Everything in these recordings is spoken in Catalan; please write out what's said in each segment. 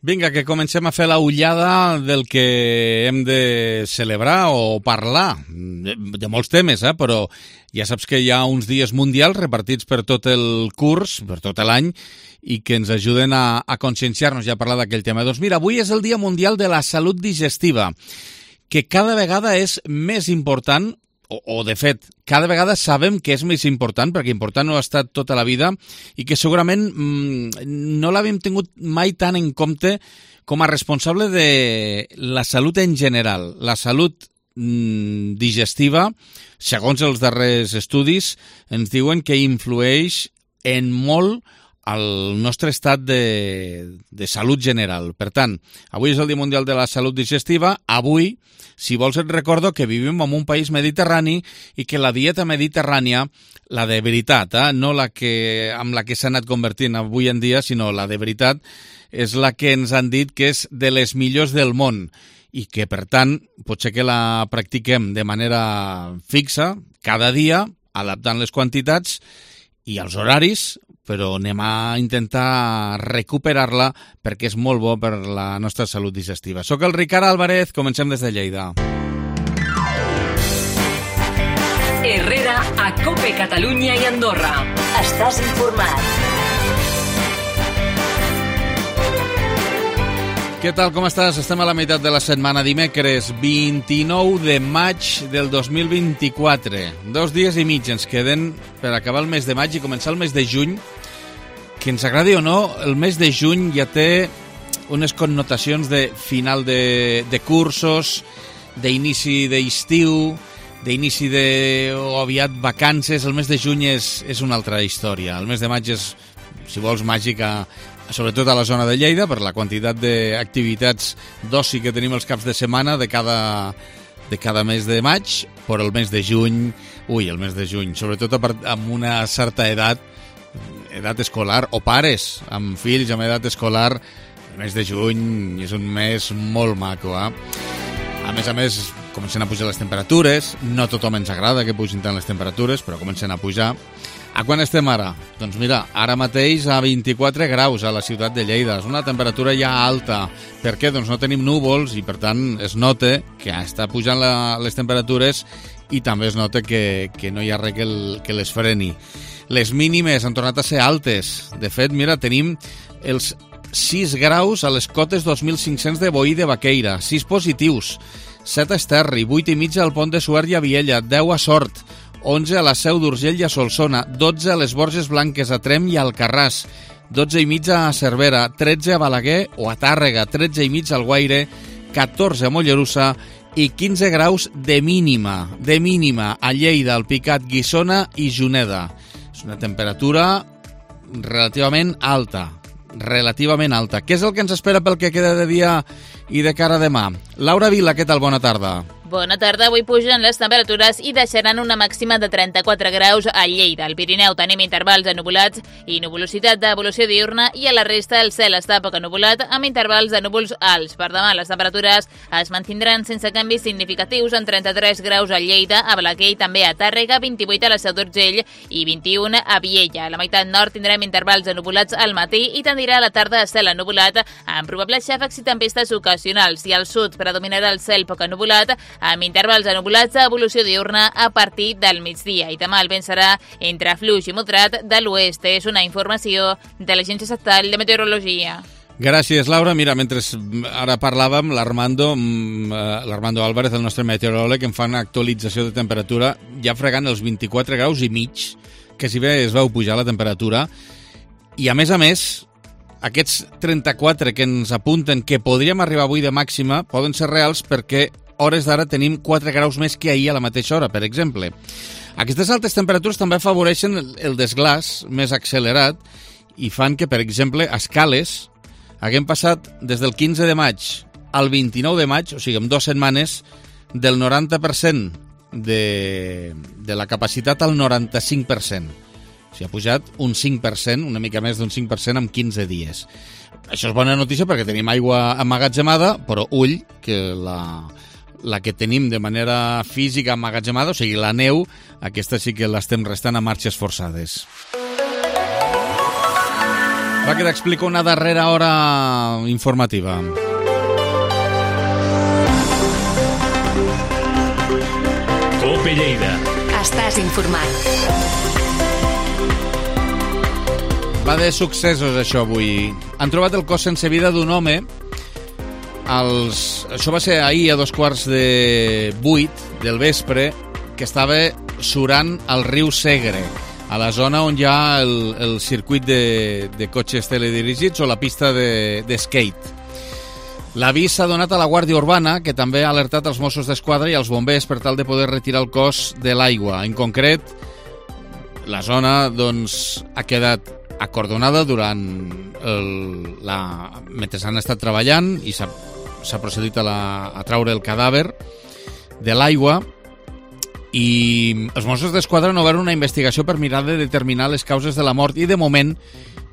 Vinga, que comencem a fer la ullada del que hem de celebrar o parlar, de molts temes, però ja saps que hi ha uns dies mundials repartits per tot el curs, per tot l'any, i que ens ajuden a conscienciar-nos ja a parlar d'aquell tema. Doncs mira, avui és el Dia Mundial de la Salut Digestiva, que cada vegada és més important, o de fet, cada vegada sabem que és més important, perquè important no ha estat tota la vida, i que segurament no l'havíem tingut mai tan en compte com a responsable de la salut en general. La salut digestiva, segons els darrers estudis, ens diuen que influeix en molt al nostre estat de salut general. Per tant, avui és el Dia Mundial de la Salut Digestiva. Avui, si vols, et recordo que vivim en un país mediterrani i que la dieta mediterrània, la de veritat, no la que amb la que s'ha anat convertint avui en dia, sinó la de veritat, és la que ens han dit que és de les millors del món i que, per tant, potser que la practiquem de manera fixa, cada dia, adaptant les quantitats i els horaris, però anem a intentar recuperar-la perquè és molt bo per la nostra salut digestiva. Soc el Ricard Álvarez, comencem des de Lleida. Herrera, a COPE Catalunya i Andorra. Estàs informat. Què tal, com estàs? Estem a la meitat de la setmana, dimecres 29 de maig del 2024. 2 dies i mig ens queden per acabar el mes de maig i començar el mes de juny, que ens agradi o no, el mes de juny ja té unes connotacions de final de cursos, d'inici d'estiu, d'inici o aviat vacances. El mes de juny és una altra història. El mes de maig és, si vols, màgica, sobretot a la zona de Lleida, per la quantitat d'activitats d'oci que tenim els caps de setmana de cada mes de maig, però el mes de juny, el mes de juny, sobretot amb una certa edat escolar, o pares amb fills amb edat escolar, el mes de juny és un mes molt maco, A més, comencen a pujar les temperatures, no a tothom ens agrada que pugin tant les temperatures, però comencen a pujar. A quan estem ara? Doncs mira, ara mateix a 24 graus a la ciutat de Lleida. És una temperatura ja alta. Per què? Doncs no tenim núvols i, per tant, es nota que està pujant les temperatures i també es nota que no hi ha res que les freni. Les mínimes han tornat a ser altes. De fet, mira, tenim els 6 graus a les cotes 2.500 de Boí de Baqueira, 6 positius, 7 a Esterri, 8 i mitja al Pont de Suert i a Viella, 10 a Sort, 11 a la Seu d'Urgell i a Solsona, 12 a les Borges Blanques, a Trem i a Alcarràs, 12 i mitja a Cervera, 13 a Balaguer o a Tàrrega, 13 i mitja al Guaire, 14 a Mollerussa i 15 graus de mínima a Lleida, Alpicat, Guissona i Juneda. És una temperatura relativament alta. Què és el que ens espera pel que queda de dia i de cara a demà? Laura Vila, què tal? Bona tarda. Bona tarda. Avui pugen les temperatures i deixaran una màxima de 34 graus a Lleida. Al Pirineu tenim intervals ennuvolats i nuvolositat d'evolució diurna i a la resta el cel està poc ennuvolat amb intervals de núvols alts. Per demà les temperatures es mantindran sense canvis significatius en 33 graus a Lleida, a Balaguer i també a Tàrrega, 28 a la Seu d'Urgell i 21 a Viella. A la meitat nord tindrem intervals ennuvolats al matí i tendirà a la tarda a cel ennuvolat amb probables xàfecs i tempestes ocasionals i al sud predominarà el cel poc ennuvolat amb intervals ennuvolats d'evolució diurna a partir del migdia. I demà el vent serà entre fluix i moderat de l'oest. És una informació de l'Agència Estatal de Meteorologia. Gràcies, Laura. Mira, mentre ara parlàvem, l'Armando Álvarez, el nostre meteoròleg, em fa una actualització de temperatura ja fregant els 24 graus i mig, que si bé es veu pujar la temperatura. I a més, aquests 34 que ens apunten que podríem arribar avui de màxima poden ser reals perquè hores d'ara tenim 4 graus més que ahir a la mateixa hora, per exemple. Aquestes altes temperatures també afavoreixen el desglàs més accelerat i fan que, per exemple, a Escales haguem passat des del 15 de maig al 29 de maig, o sigui, en 2 setmanes, del 90% de la capacitat al 95%. O sigui, ha pujat un 5%, una mica més d'un 5% en 15 dies. Això és bona notícia perquè tenim aigua emmagatzemada, però ull, que la que tenim de manera física emmagatzemada, o sigui, la neu, aquesta sí que l'estem restant a marxes forçades. Va, que t'explico una darrera hora informativa. Cope Lleida. Estàs informat. Va de successos, això, avui. Han trobat el cos sense vida d'un home. Això va ser ahir a 7:45 del vespre, que estava surant al riu Segre, a la zona on hi ha el circuit de cotxes teledirigits o la pista de skate. L'avís s'ha donat a la Guàrdia Urbana, que també ha alertat els Mossos d'Esquadra i els bombers per tal de poder retirar el cos de l'aigua. En concret, la zona doncs, ha quedat acordonada mentre han estat treballant i s'ha procedit a traure el cadàver de l'aigua, i els Mossos d'Esquadra han obert una investigació per mirar de determinar les causes de la mort i de moment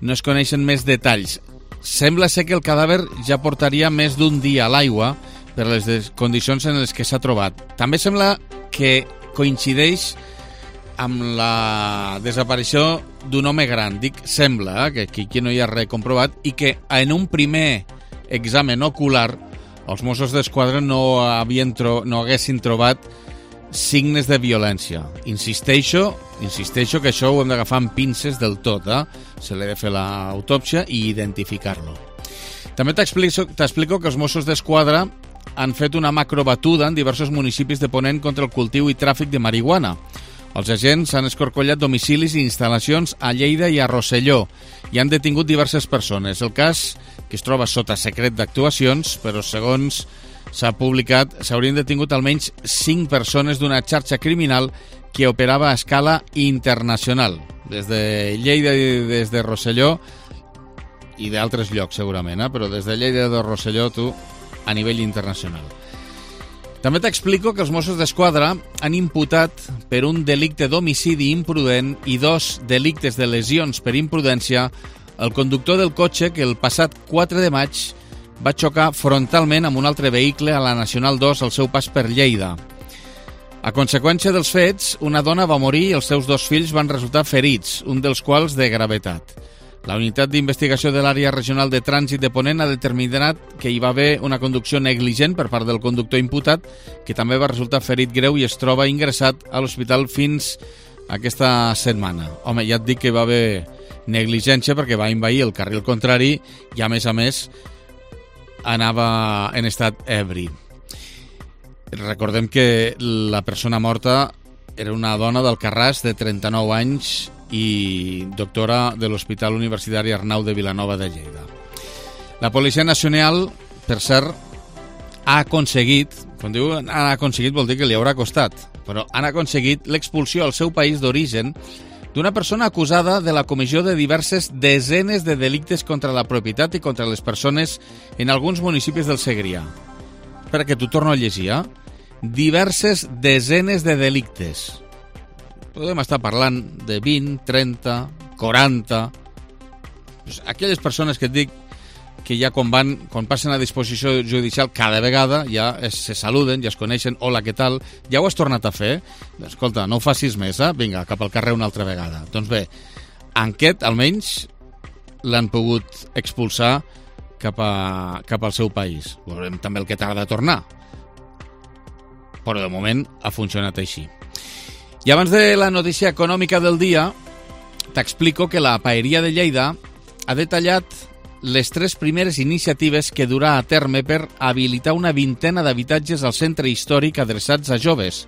no es coneixen més detalls. Sembla ser que el cadàver ja portaria més d'un dia a l'aigua per les condicions en les que s'ha trobat. També sembla que coincideix amb la desaparició d'un home gran. Dic sembla, que aquí no hi ha res comprovat, i que en un primer examen ocular els Mossos d'Esquadra no haguessin trobat signes de violència. Insisteixo que això ho hem d'agafar amb pinces del tot, se l'ha de fer l'autòpsia i identificar-lo. També t'explico que els Mossos d'Esquadra han fet una macrobatuda en diversos municipis de Ponent contra el cultiu i tràfic de marihuana. Els agents han escorcollat domicilis i instal·lacions a Lleida i a Rosselló i han detingut diverses persones. El cas, que es troba sota secret d'actuacions, però segons s'ha publicat, s'haurien detingut almenys 5 persones d'una xarxa criminal que operava a escala internacional, des de Lleida i des de Rosselló i d'altres llocs segurament, però des de Lleida i de Rosselló a nivell internacional. També t'explico que els Mossos d'Esquadra han imputat per un delicte d'homicidi imprudent i 2 delictes de lesions per imprudència el conductor del cotxe que el passat 4 de maig va xocar frontalment amb un altre vehicle a la Nacional 2 al seu pas per Lleida. A conseqüència dels fets, una dona va morir i els seus 2 fills van resultar ferits, un dels quals de gravetat. La unitat d'investigació de l'àrea regional de trànsit de Ponent ha determinat que hi va haver una conducció negligent per part del conductor imputat, que també va resultar ferit greu i es troba ingressat a l'hospital fins aquesta setmana. Home, ja et dic que hi va haver negligència perquè va envair el carril contrari i, a més, anava en estat ebri. Recordem que la persona morta era una dona d'Alcarràs de 39 anys i doctora de l'Hospital Universitari Arnau de Vilanova de Lleida. La Policia Nacional, per cert, ha aconseguit, quan diu han aconseguit vol dir que li haurà costat, però han aconseguit l'expulsió al seu país d'origen d'una persona acusada de la comissió de diverses desenes de delictes contra la propietat i contra les persones en alguns municipis del Segrià. Espera, que t'ho torno a llegir, diverses desenes de delictes. Podem estar parlant de 20, 30, 40... Aquelles persones que et dic que ja quan passen a disposició judicial cada vegada ja se saluden, ja es coneixen, hola, què tal, ja ho has tornat a fer? Escolta, no ho facis més, vinga, cap al carrer una altra vegada. Doncs bé, en aquest, almenys, l'han pogut expulsar cap al seu país. Veurem també el que tarda a tornar. Però de moment ha funcionat així. I abans de la notícia econòmica del dia, t'explico que la Paeria de Lleida ha detallat les 3 primeres iniciatives que durà a terme per habilitar una vintena d'habitatges al centre històric adreçats a joves.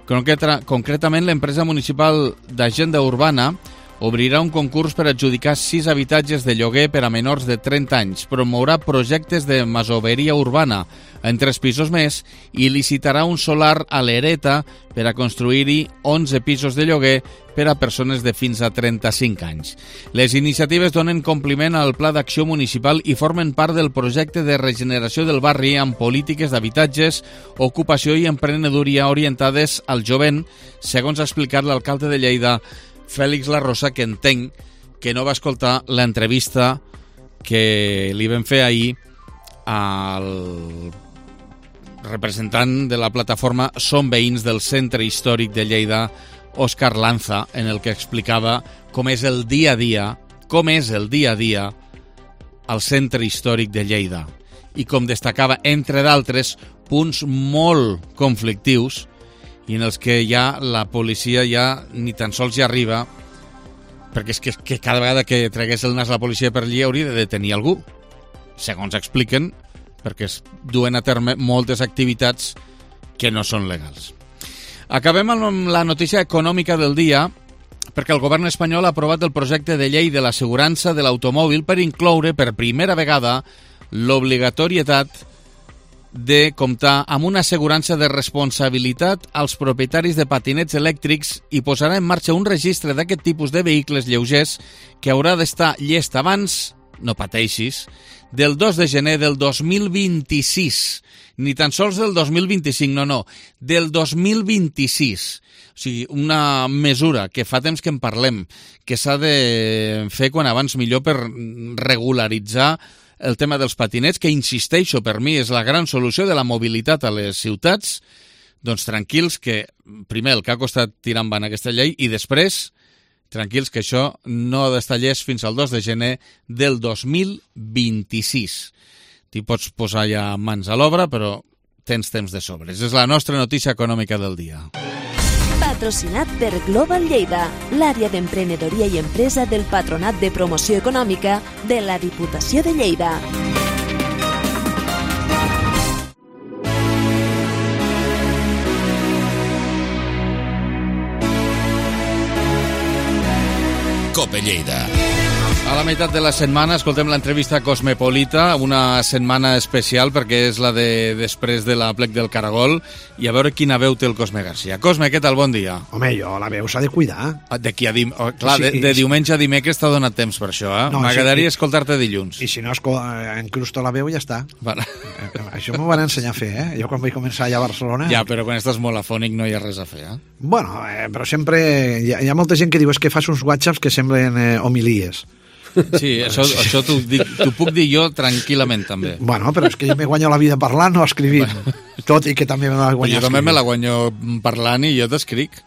Concretament, l'empresa municipal d'Agenda Urbana obrirà un concurs per adjudicar 6 habitatges de lloguer per a menors de 30 anys, promourà projectes de masoveria urbana en 3 pisos més i licitarà un solar a l'Hereta per a construir-hi 11 pisos de lloguer per a persones de fins a 35 anys. Les iniciatives donen compliment al Pla d'Acció Municipal i formen part del projecte de regeneració del barri amb polítiques d'habitatges, ocupació i emprenedoria orientades al jovent, segons ha explicat l'alcalde de Lleida, Fèlix La Rosa, que entenc que no va escoltar l'entrevista que li vam fer ahir al representant de la plataforma Som Veïns del Centre Històric de Lleida, Òscar Lanza, en el que explicava com és el dia a dia al centre històric de Lleida. I com destacava, entre d'altres, punts molt conflictius i en els que ja la policia ja ni tan sols hi arriba, perquè és que cada vegada que tregués el nas la policia per allí hauria de detenir algú, segons expliquen, perquè es duen a terme moltes activitats que no són legals. Acabem amb la notícia econòmica del dia, perquè el govern espanyol ha aprovat el projecte de llei de l'assegurança de l'automòbil per incloure per primera vegada l'obligatorietat de comptar amb una assegurança de responsabilitat als propietaris de patinets elèctrics i posarà en marxa un registre d'aquest tipus de vehicles lleugers que haurà d'estar llest abans, no pateixis, del 2 de gener del 2026. Ni tan sols del 2025, no, del 2026. O sigui, una mesura que fa temps que en parlem, que s'ha de fer quan abans millor per regularitzar el tema dels patinets, que insisteixo, per mi és la gran solució de la mobilitat a les ciutats. Doncs tranquils que, primer, el que ha costat tirar endavant aquesta llei i després, tranquils que això no ha d'estar llest fins al 2 de gener del 2026. T'hi pots posar ja mans a l'obra, però tens temps de sobres. És la nostra notícia econòmica del dia. Patrocinat per Global Lleida, l'àrea d'emprenedoria i empresa del Patronat de Promoció Econòmica de la Diputació de Lleida. Cope Lleida. A la meitat de la setmana escoltem l'entrevista Cosmopolita, una setmana especial perquè és la de després de la plec del Caragol, i a veure quina veu té el Cosme Garcia. Cosme, què tal? Bon dia. Home, jo, la veu s'ha de cuidar. D'aquí a clar, sí, de diumenge a dimecres t'ha donat temps per això, eh? No, m'agradaria escoltar-te dilluns. I si no encrusto la veu, ja està. Vale. Això m'ho van ensenyar a fer, eh? Jo quan vaig començar allà a Barcelona... Ja, però quan estàs molt afònic no hi ha res a fer, eh? Bueno, però sempre... Hi ha molta gent que diu que fas uns whatsapps que semblen homilies. Sí, això t'ho puc dir jo tranquil·lament, també. Bueno, però és que jo me guanyo la vida parlant o escrivint. Tot i que també me la guanyo escrivint. Jo també me la guanyo parlant i jo t'escric.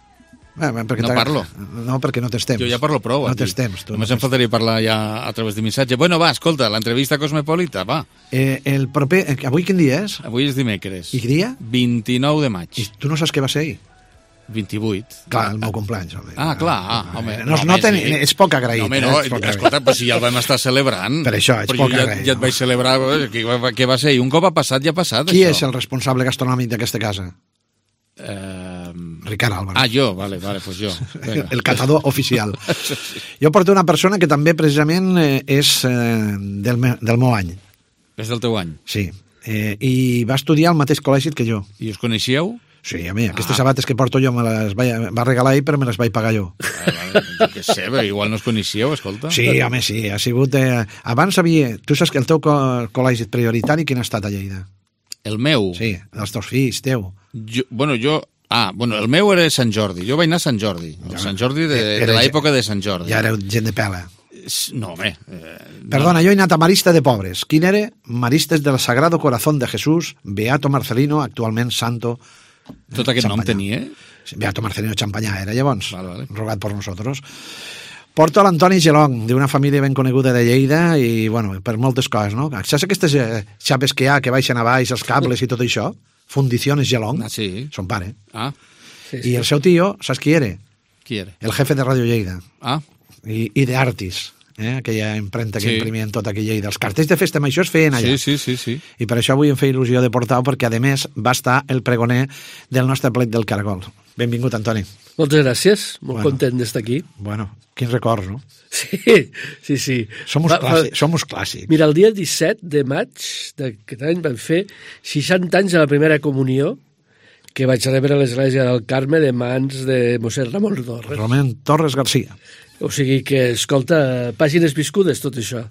No parlo. No, perquè no tens temps. Jo ja parlo prou. No tens temps. Només em faltaria parlar ja a través de missatge. Bueno, va, escolta, l'entrevista Cosmopolita, va. El proper... Avui quin dia és? Avui és dimecres. I quin dia? 29 de maig. I tu no saps què va ser ahir? 28. Clar, el meu compleany. Home. Home. Ets poc agraït. No, home, no, escolta, però si ja el vam estar celebrant. Per això, ets poc agraït. Ja et vaig celebrar, què va ser? I un cop ha passat, ja ha passat, Qui això. és el responsable gastronòmic d'aquesta casa? Ricard Álvarez. Ah, jo? Vale, pues jo. El catador oficial. Jo porto una persona que també precisament és del meu any. És del teu any? Sí. I va estudiar al mateix col·legi que jo. I us coneixeu? Sí, a mi, aquestes sabates que porto jo me les va regalar ell, però me les vaig pagar jo. Vale, què sé, igual no us coneixeu, escolta. Sí, home, sí, ha sigut... Abans havia... Tu saps que el teu col·legi prioritari quin ha estat a Lleida? El meu? Sí, dels teus fills, teu. El meu era Sant Jordi. Jo vaig anar a Sant Jordi. Sant Jordi de l'època de Sant Jordi. Ja éreu gent de pela. No, home. Perdona, jo he anat a Marista de Pobres. Quin era? Maristes del Sagrado Corazón de Jesús, Beato Marcelino, actualment santo... Tot aquest nom tenia? Beato Marcelino Champañá era llavors, vale. rogat per nosaltres. Porto l'Antoni Gelong, d'una família ben coneguda de Lleida, i, bueno, per moltes coses, no? Saps aquestes xapes que hi ha, que baixen a baix, els cables i tot això? Fundiciones Gelong. Ah, sí. Son pare. Ah. Sí. I el seu tio, saps qui era? Qui era? El jefe de Radio Lleida. Ah. I de Artis. Aquella impremta que imprimien tot aquí a Lleida. Els cartells de festa major es feien allà. Sí. I per això avui em feia il·lusió de portar-ho, perquè a més va estar el pregoner del nostre plec del Caragol. Benvingut, Antoni. Moltes gràcies, molt content d'estar aquí. Bueno, quins records, no? Sí. Somos clàssics. Mira, el dia 17 de maig d'aquest any vam fer 60 anys de la primera comunió que vaig rebre a l'església del Carme de mans de mossèn Ramon Torres. Ramon Torres Garcia. O sigui que, escolta, pàgines viscudes, tot això.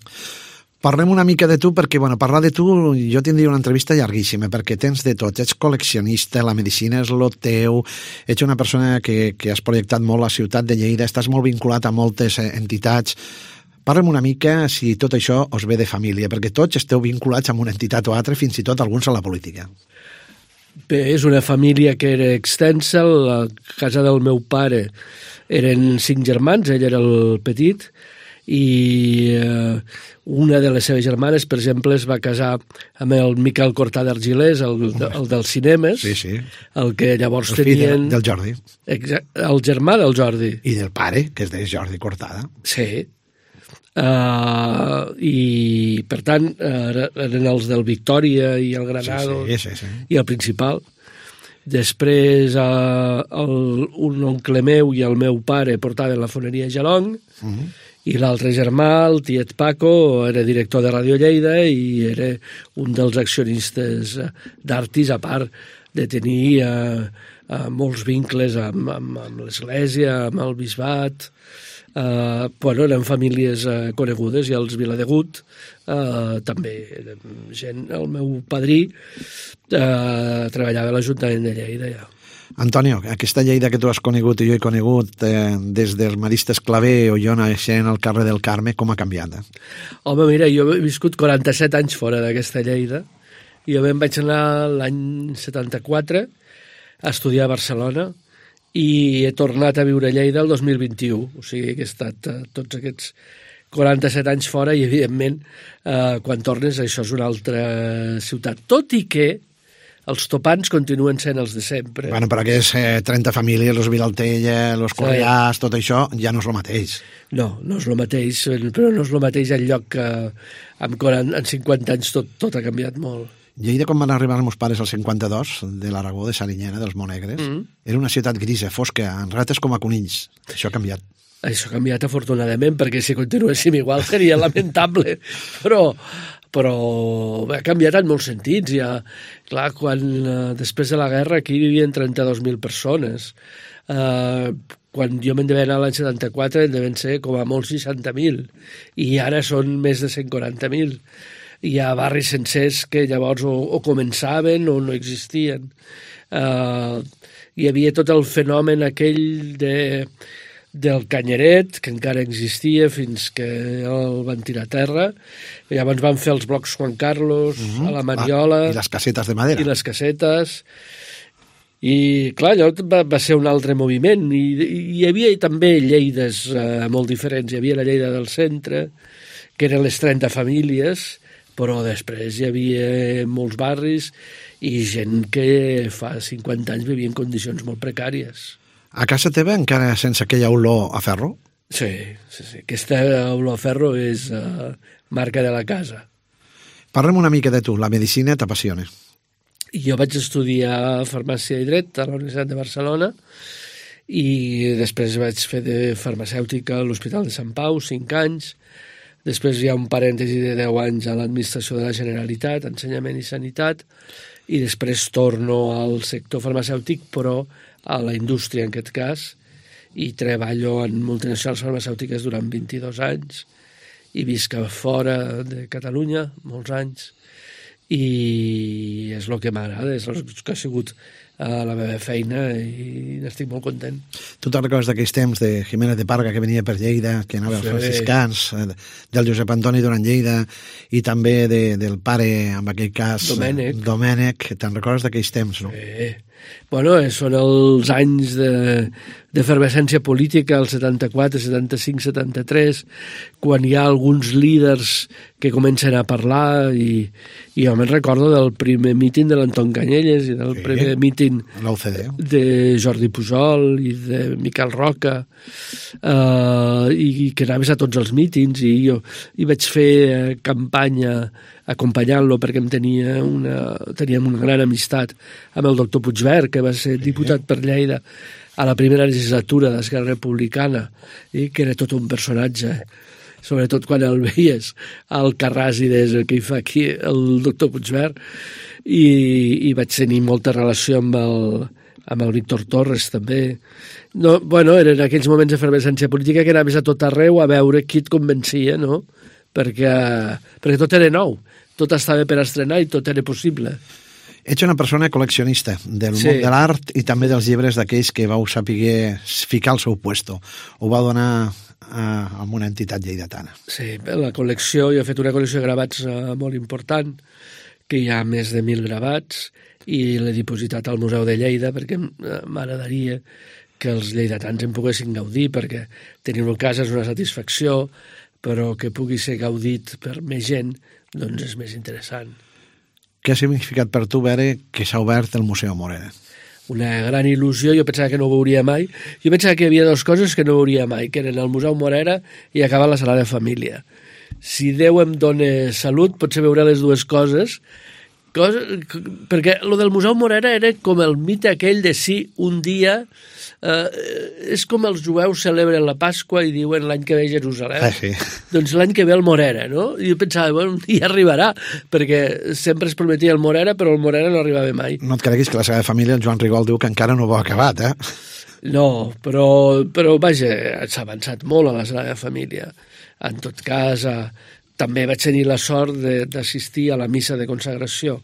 Parlem una mica de tu, perquè, bueno, parlar de tu, jo tindria una entrevista llarguíssima, perquè tens de tot. Ets col·leccionista, la medicina és lo teu, ets una persona que has projectat molt la ciutat de Lleida, estàs molt vinculat a moltes entitats. Parlem una mica si tot això us ve de família, perquè tots esteu vinculats amb una entitat o altra, fins i tot alguns a la política. Bé, és una família que era extensa. La casa del meu pare eren 5 germans, ell era el petit, i una de les seves germanes, per exemple, es va casar amb el Miquel Cortà d'Argilés, el dels cinemes, Sí. el que llavors El fill tenien... del Jordi. El germà del Jordi. I del pare, que és de Jordi Cortada. Sí. I, per tant, eren els del Victòria i el Granado Sí. i el Principal. Després, un oncle meu i el meu pare portaven la foneria Gelong, i l'altre germà, el tiet Paco, era director de Ràdio Lleida i era un dels accionistes d'Artis, a part de tenir molts vincles amb l'Església, amb el bisbat. Eren famílies conegudes, i els Viladegut també eren gent. El meu padrí treballava a l'Ajuntament de Lleida, ja. Antonio, aquesta Lleida que tu has conegut i jo he conegut des dels maristes Clavé o jo naixent al carrer del Carme, com ha canviat? Home, mira, jo he viscut 47 anys fora d'aquesta Lleida. Jo me'n vaig anar l'any 74 a estudiar a Barcelona i he tornat a viure a Lleida el 2021. O sigui que he estat tots aquests 47 anys fora i, evidentment, quan tornes, això és una altra ciutat. Tot i que els topants continuen sent els de sempre. Bueno, però aquests 30 famílies, los Vilaltella, los Correàs, tot això, ja no és el mateix. No és el mateix, però no és el mateix el lloc que en 50 anys tot ha canviat molt. Lleida, quan van arribar els meus pares al 52, de l'Aragó, de Sarinyena, dels Monegres, era una ciutat grisa, fosca, amb rates com a conills. Això ha canviat. Això ha canviat afortunadament, perquè si continuéssim igual seria lamentable, però ha canviat en molts sentits. Ja, clar, després de la guerra aquí vivien 32.000 persones. Quan jo me'n devia anar l'any 74 en deven ser com a molt 60.000, i ara són més de 140.000. Hi ha barris sencers que llavors o començaven o no existien. Hi havia tot el fenomen aquell del Canyeret, que encara existia fins que el van tirar a terra. I llavors van fer els blocs Juan Carlos, a la Mariola... I les casetes de madera. I les casetes. I, clar, allò va ser un altre moviment. I hi havia també Lleides molt diferents. Hi havia la Lleida del centre, que eren les 30 famílies, però després hi havia molts barris i gent que fa 50 anys vivia en condicions molt precàries. A casa teva encara sense aquella olor a ferro? Sí. Aquesta olor a ferro és marca de la casa. Parlem una mica de tu. La medicina t'apassiona. Jo vaig estudiar farmàcia i dret a la Universitat de Barcelona i després vaig fer de farmacèutica a l'Hospital de Sant Pau, 5 anys. Després hi ha un parèntesi de 10 anys a l'administració de la Generalitat, ensenyament i sanitat, i després torno al sector farmacèutic, però a la indústria en aquest cas, i treballo en multinacionals farmacèutiques durant 22 anys, i visc a fora de Catalunya molts anys, i és el que m'agrada, és el que ha sigut la meva feina i n'estic molt content. Tu te'n recordes d'aquells temps de Jiménez de Parga que venia per Lleida, que anava als franciscans, del Josep Antoni Duran Lleida i també del pare, en aquell cas, Domènec. Te'n recordes d'aquells temps, no? Sí. Bueno, són els anys d'efervescència política, el 74, 75, 73, quan hi ha alguns líders que comencen a parlar i jo me'n recordo del primer míting de l'Anton Canyelles i del primer míting de Jordi Pujol i de Miquel Roca i que anaves a tots els mítings i jo vaig fer campanya acompanyant-lo perquè teníem una gran amistat amb el doctor Puigvert, que va ser diputat per Lleida a la primera legislatura d'Esquerra Republicana i que era tot un personatge, sobretot quan el veies al Carràs i des que hi fa aquí el doctor Puigvert, i vaig tenir molta relació amb el Víctor Torres també. No, bueno, eren aquells moments d'efervescència política que anaves a tot arreu a veure qui et convencia, no? Perquè tot era nou, tot estava per estrenar i tot era possible. Ets una persona col·leccionista del món de l'art i també dels llibres d'aquells que vau saber ficar al seu puesto. Ho vau donar a una entitat lleidatana. Sí, la col·lecció, jo he fet una col·lecció de gravats molt important, que hi ha més de 1.000 gravats, i l'he dipositat al Museu de Lleida perquè m'agradaria que els lleidatans en poguessin gaudir, perquè tenir-ho a casa és una satisfacció, però que pugui ser gaudit per més gent, doncs és més interessant. Què ha significat per tu veure que s'ha obert el Museu Morera? Una gran il·lusió, jo pensava que no ho veuria mai. Jo pensava que hi havia dues coses que no veuria mai, que eren el Museu Morera i acabar la Sagrada Família. Si Déu em dona salut, potser veuré les dues coses, perquè lo del Museu Morera era com el mite aquell de si un dia és com els jueus celebren la Pasqua i diuen l'any que ve Jerusalem. Sí. Doncs l'any que ve el Morera, no? I jo pensava, bueno, un dia arribarà, perquè sempre es prometia el Morera, però el Morera no arribava mai. No et creguis que la Sagrada Família, el Joan Rigol diu que encara no ho ha acabat, eh? No, però vaja, s'ha avançat molt a la Sagrada Família. En tot cas, també vaig tenir la sort d'assistir a la missa de consagració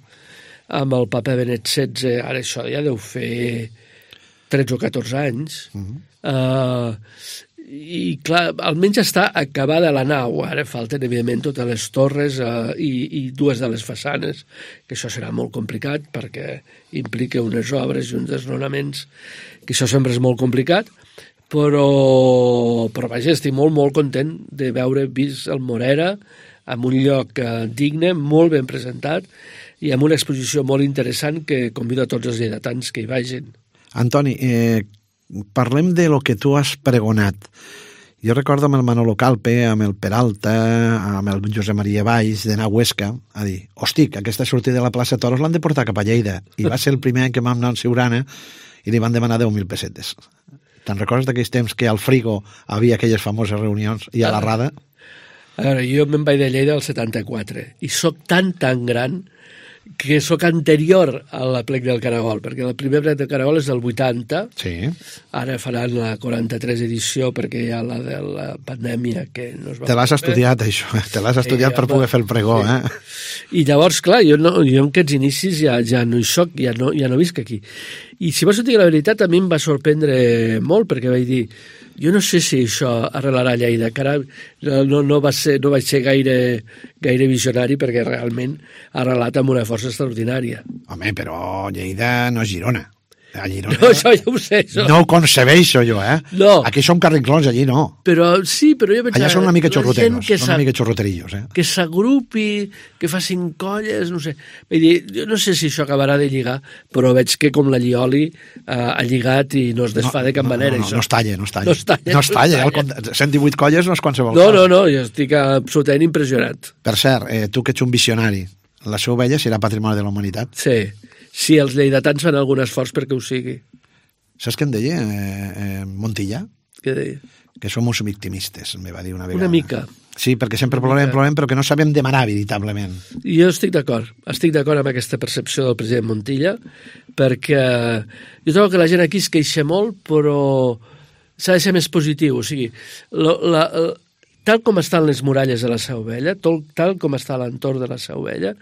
amb el papa Benet XVI, ara això ja deu fer 13 o 14 anys, i clar, almenys està acabada la nau, ara falten evidentment totes les torres i dues de les façanes, que això serà molt complicat perquè implica unes obres i uns desnonaments, que això sempre és molt complicat, però vaja, estic molt content de veure vist el Morera en un lloc digne, molt ben presentat i amb una exposició molt interessant que convido a tots els lleidatans que hi vagin. Antoni, parlem de lo que tu has pregonat. Jo recordo amb el Manolo Calpe, amb el Peralta, amb el Josep Maria Valls, d'anar a Huesca, a dir, hosti, aquesta sortida de la plaça Toros l'han de portar cap a Lleida. I va ser el primer any que vam anar al Siurana i li van demanar 10.000 pessetes. Te'n recordes d'aquells temps que al Frigo havia aquelles famoses reunions i a la Rada? A veure, jo me'n vaig de Lleida al 74 i sóc tan gran que sóc anterior a la plec del Caragol, perquè la primera plec del Caragol és del 80, sí. Ara faran la 43 edició perquè hi ha la de la pandèmia que no es va... Te l'has estudiat, això, te l'has estudiat per poder fer el pregó, sí. I llavors, clar, jo en aquests inicis ja no hi soc, ja no visc aquí. I si vols dir la veritat, a mi em va sorprendre molt, perquè vaig dir, jo no sé si això arrelarà a Lleida, carai, no vaig ser gaire visionari perquè realment ha arrelat amb una força extraordinària. Home, però Lleida no és Girona. A Girona... No, això ja ho sé. Això. No ho concebeixo jo, No. Aquí som carrinclons, allí no. Però sí, però jo pensava... Allà són una mica xorroteros, són una mica xorroterillos, Que s'agrupi, que facin colles, no sé. Vull dir, jo no sé si això acabarà de lligar, però veig que com la Llioli ha lligat i no es desfà de cap manera. No es talla. 118 colles no és qualsevol cosa. No, jo estic absolutament impressionat. Per cert, tu que ets un visionari, la Seu Vella serà patrimoni de la humanitat? Sí. Si els lleidatans fan algun esforç perquè ho sigui. Saps què em deia Montilla? Què deia? Que som uns victimistes, me va dir una vegada. Una mica. Sí, perquè sempre plorem, però que no sabem demanar veritablement. Jo estic d'acord amb aquesta percepció del president Montilla, perquè jo trobo que la gent aquí es queixa molt, però s'ha de ser més positiu. O sigui, tal com estan les muralles de la Seu Vella, tal com està l'entorn de la Seu Vella,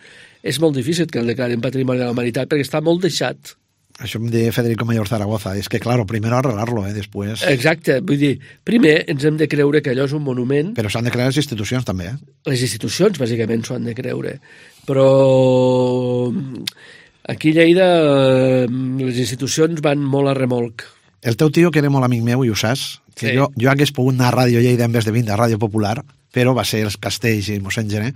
és molt difícil que el declarin patrimoni de la humanitat perquè està molt deixat. Això em deia Federico Mayor Zaragoza. És que, claro, primero arreglarlo, després... Exacte. Vull dir, primer ens hem de creure que allò és un monument... Però s'han de creure les institucions, també, Les institucions, bàsicament, s'ho han de creure. Però aquí a Lleida les institucions van molt a remolc. El teu tio, que era molt amic meu, i ho saps, que sí. jo hagués pogut anar a Ràdio Lleida en vez de vindre a Ràdio Popular, però va ser els Castells i mossèn Gené.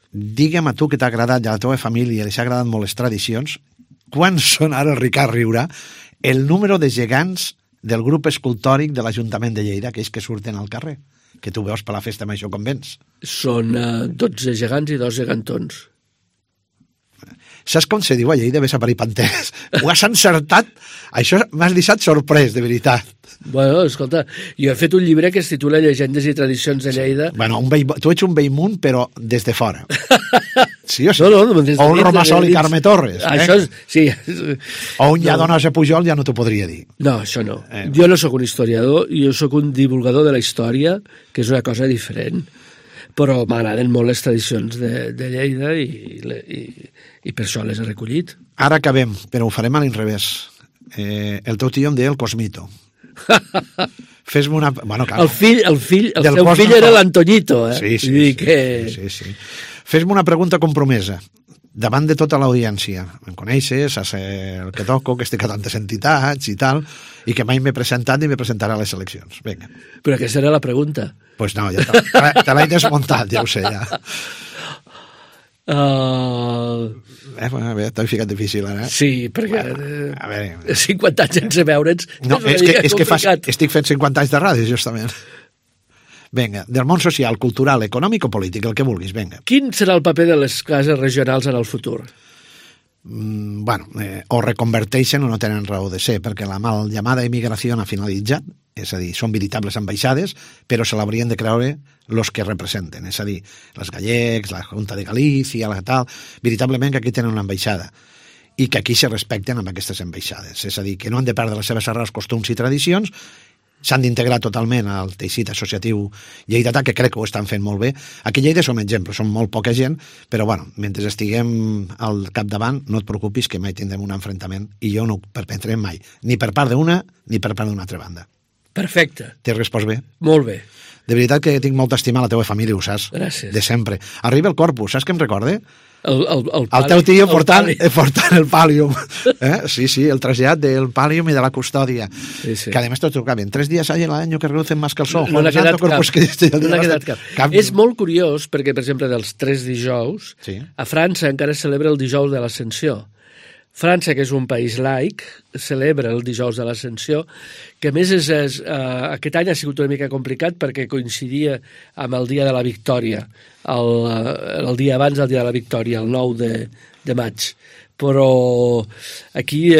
Digue'm a tu que t'ha agradat, i a la teva família li s'ha agradat molt les tradicions, quan són ara, Ricard Riura, el número de gegants del grup escultòric de l'Ajuntament de Lleida, aquells que surten al carrer, que tu veus per la festa major com vens? Són 12 gegants i 2 gegantons. Saps com se diu a Lleida? Ves a parir panteres. Ho has encertat? Això m'has deixat sorprès, de veritat. Bueno, escolta, jo he fet un llibre que es titula Llegendes i tradicions de Lleida. Bueno, tu ets un Bellmunt, però des de fora. Sí o sí? No, o un Romassol i Carme Torres. Això sí. O un Lladonós a Pujol ja no t'ho podria dir. No, això no. Jo no sóc un historiador, jo sóc un divulgador de la història, que és una cosa diferent. Però m'agraden molt les tradicions de Lleida i per això les he recollit. Ara acabem, però ho farem a l'inrevés. El teu tio em deia el Cosmito. Fes-me una... Bueno, clar, el seu fill era l'Antoñito, Sí. Fes-me una pregunta compromesa. davant de tota l'audiència. Em coneixes, saps el que toco, que estic a tantes entitats i tal, i que mai m'he presentat ni m'he presentarà a les eleccions. Vinga. Però aquesta era la pregunta. Pues no, ja te l'he desmuntat, ja ho sé, ja. A veure, t'he ficat difícil, ara. Sí, perquè a veure. 50 anys sense veure'ns No, és que estic fent 50 anys de ràdio, justament. Vinga, del món social, cultural, econòmic o polític, el que vulguis, vinga. Quin serà el paper de les cases regionals en el futur? O reconverteixen o no tenen raó de ser, perquè la mal llamada immigració ha finalitzat, és a dir, són veritables ambaixades, però se l'haurien de creure els que representen, és a dir, els gallecs, la Junta de Galícia, la tal, veritablement que aquí tenen una ambaixada i que aquí se respecten amb aquestes ambaixades, és a dir, que no han de perdre les seves arrels, costums i tradicions, s'han d'integrar totalment al teixit associatiu lleidatà, que crec que ho estan fent molt bé. Aquí a Lleida som exemple, som molt poca gent, però bueno, mentre estiguem al capdavant, no et preocupis que mai tindrem un enfrontament, i jo no ho perpetrem mai, ni per part d'una ni per part d'una altra banda. Perfecte. T'he respost bé? Molt bé. De veritat que tinc molta estima a la teva família, ho saps? Gràcies. De sempre. Arriba el Corpus, saps què em recorde? El teu tio portant el Pàl·lium. Sí, el trasllat del Pàl·lium i de la custòdia. Sí. Que además te tocaven 3 días hay al año que reducen más que el sol. No n'ha quedat cap. És molt curiós perquè, per exemple, dels 3 dijous, a França encara es celebra el dijous de l'Ascensió. França, que és un país laic, celebra el dijous de l'Ascensió, que a més aquest any ha sigut una mica complicat perquè coincidia amb el dia de la Victòria, el dia abans del dia de la Victòria, el 9 de maig. Però aquí hi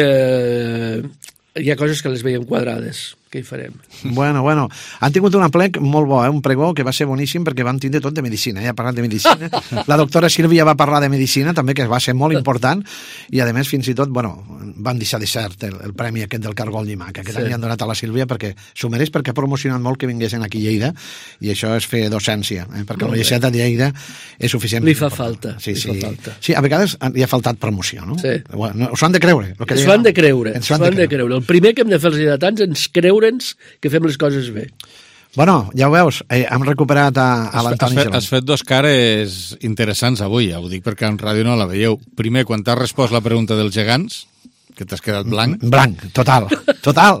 ha coses que les veiem quadrades. Què hi farem? Bueno, han tingut un aplec molt bo, un pregó que va ser boníssim perquè van tindre tot de medicina, ja parlant de medicina. La doctora Sílvia va parlar de medicina també, que va ser molt important, i a més fins i tot, van deixar de cert el premi aquest del Cargol Llimà, que aquest any han donat a la Sílvia perquè s'ho mereix, perquè ha promocionat molt que vinguessin aquí a Lleida, i això és fer docència, perquè la Universitat de Lleida és suficient. Li fa falta. Sí, a vegades li ha faltat promoció, no? Sí. S'ho han de creure. S'ho han de creure. El primer que hem de fer els lleidatans és creure'ns que fem les coses bé. Bueno, ja ho veus, hem recuperat a l'Antoni Gelon. Has fet 2 cares interessants avui, ja ho dic perquè en ràdio no la veieu. Primer, quan t'has respost la pregunta dels gegants, que t'has quedat blanc. Blanc, total.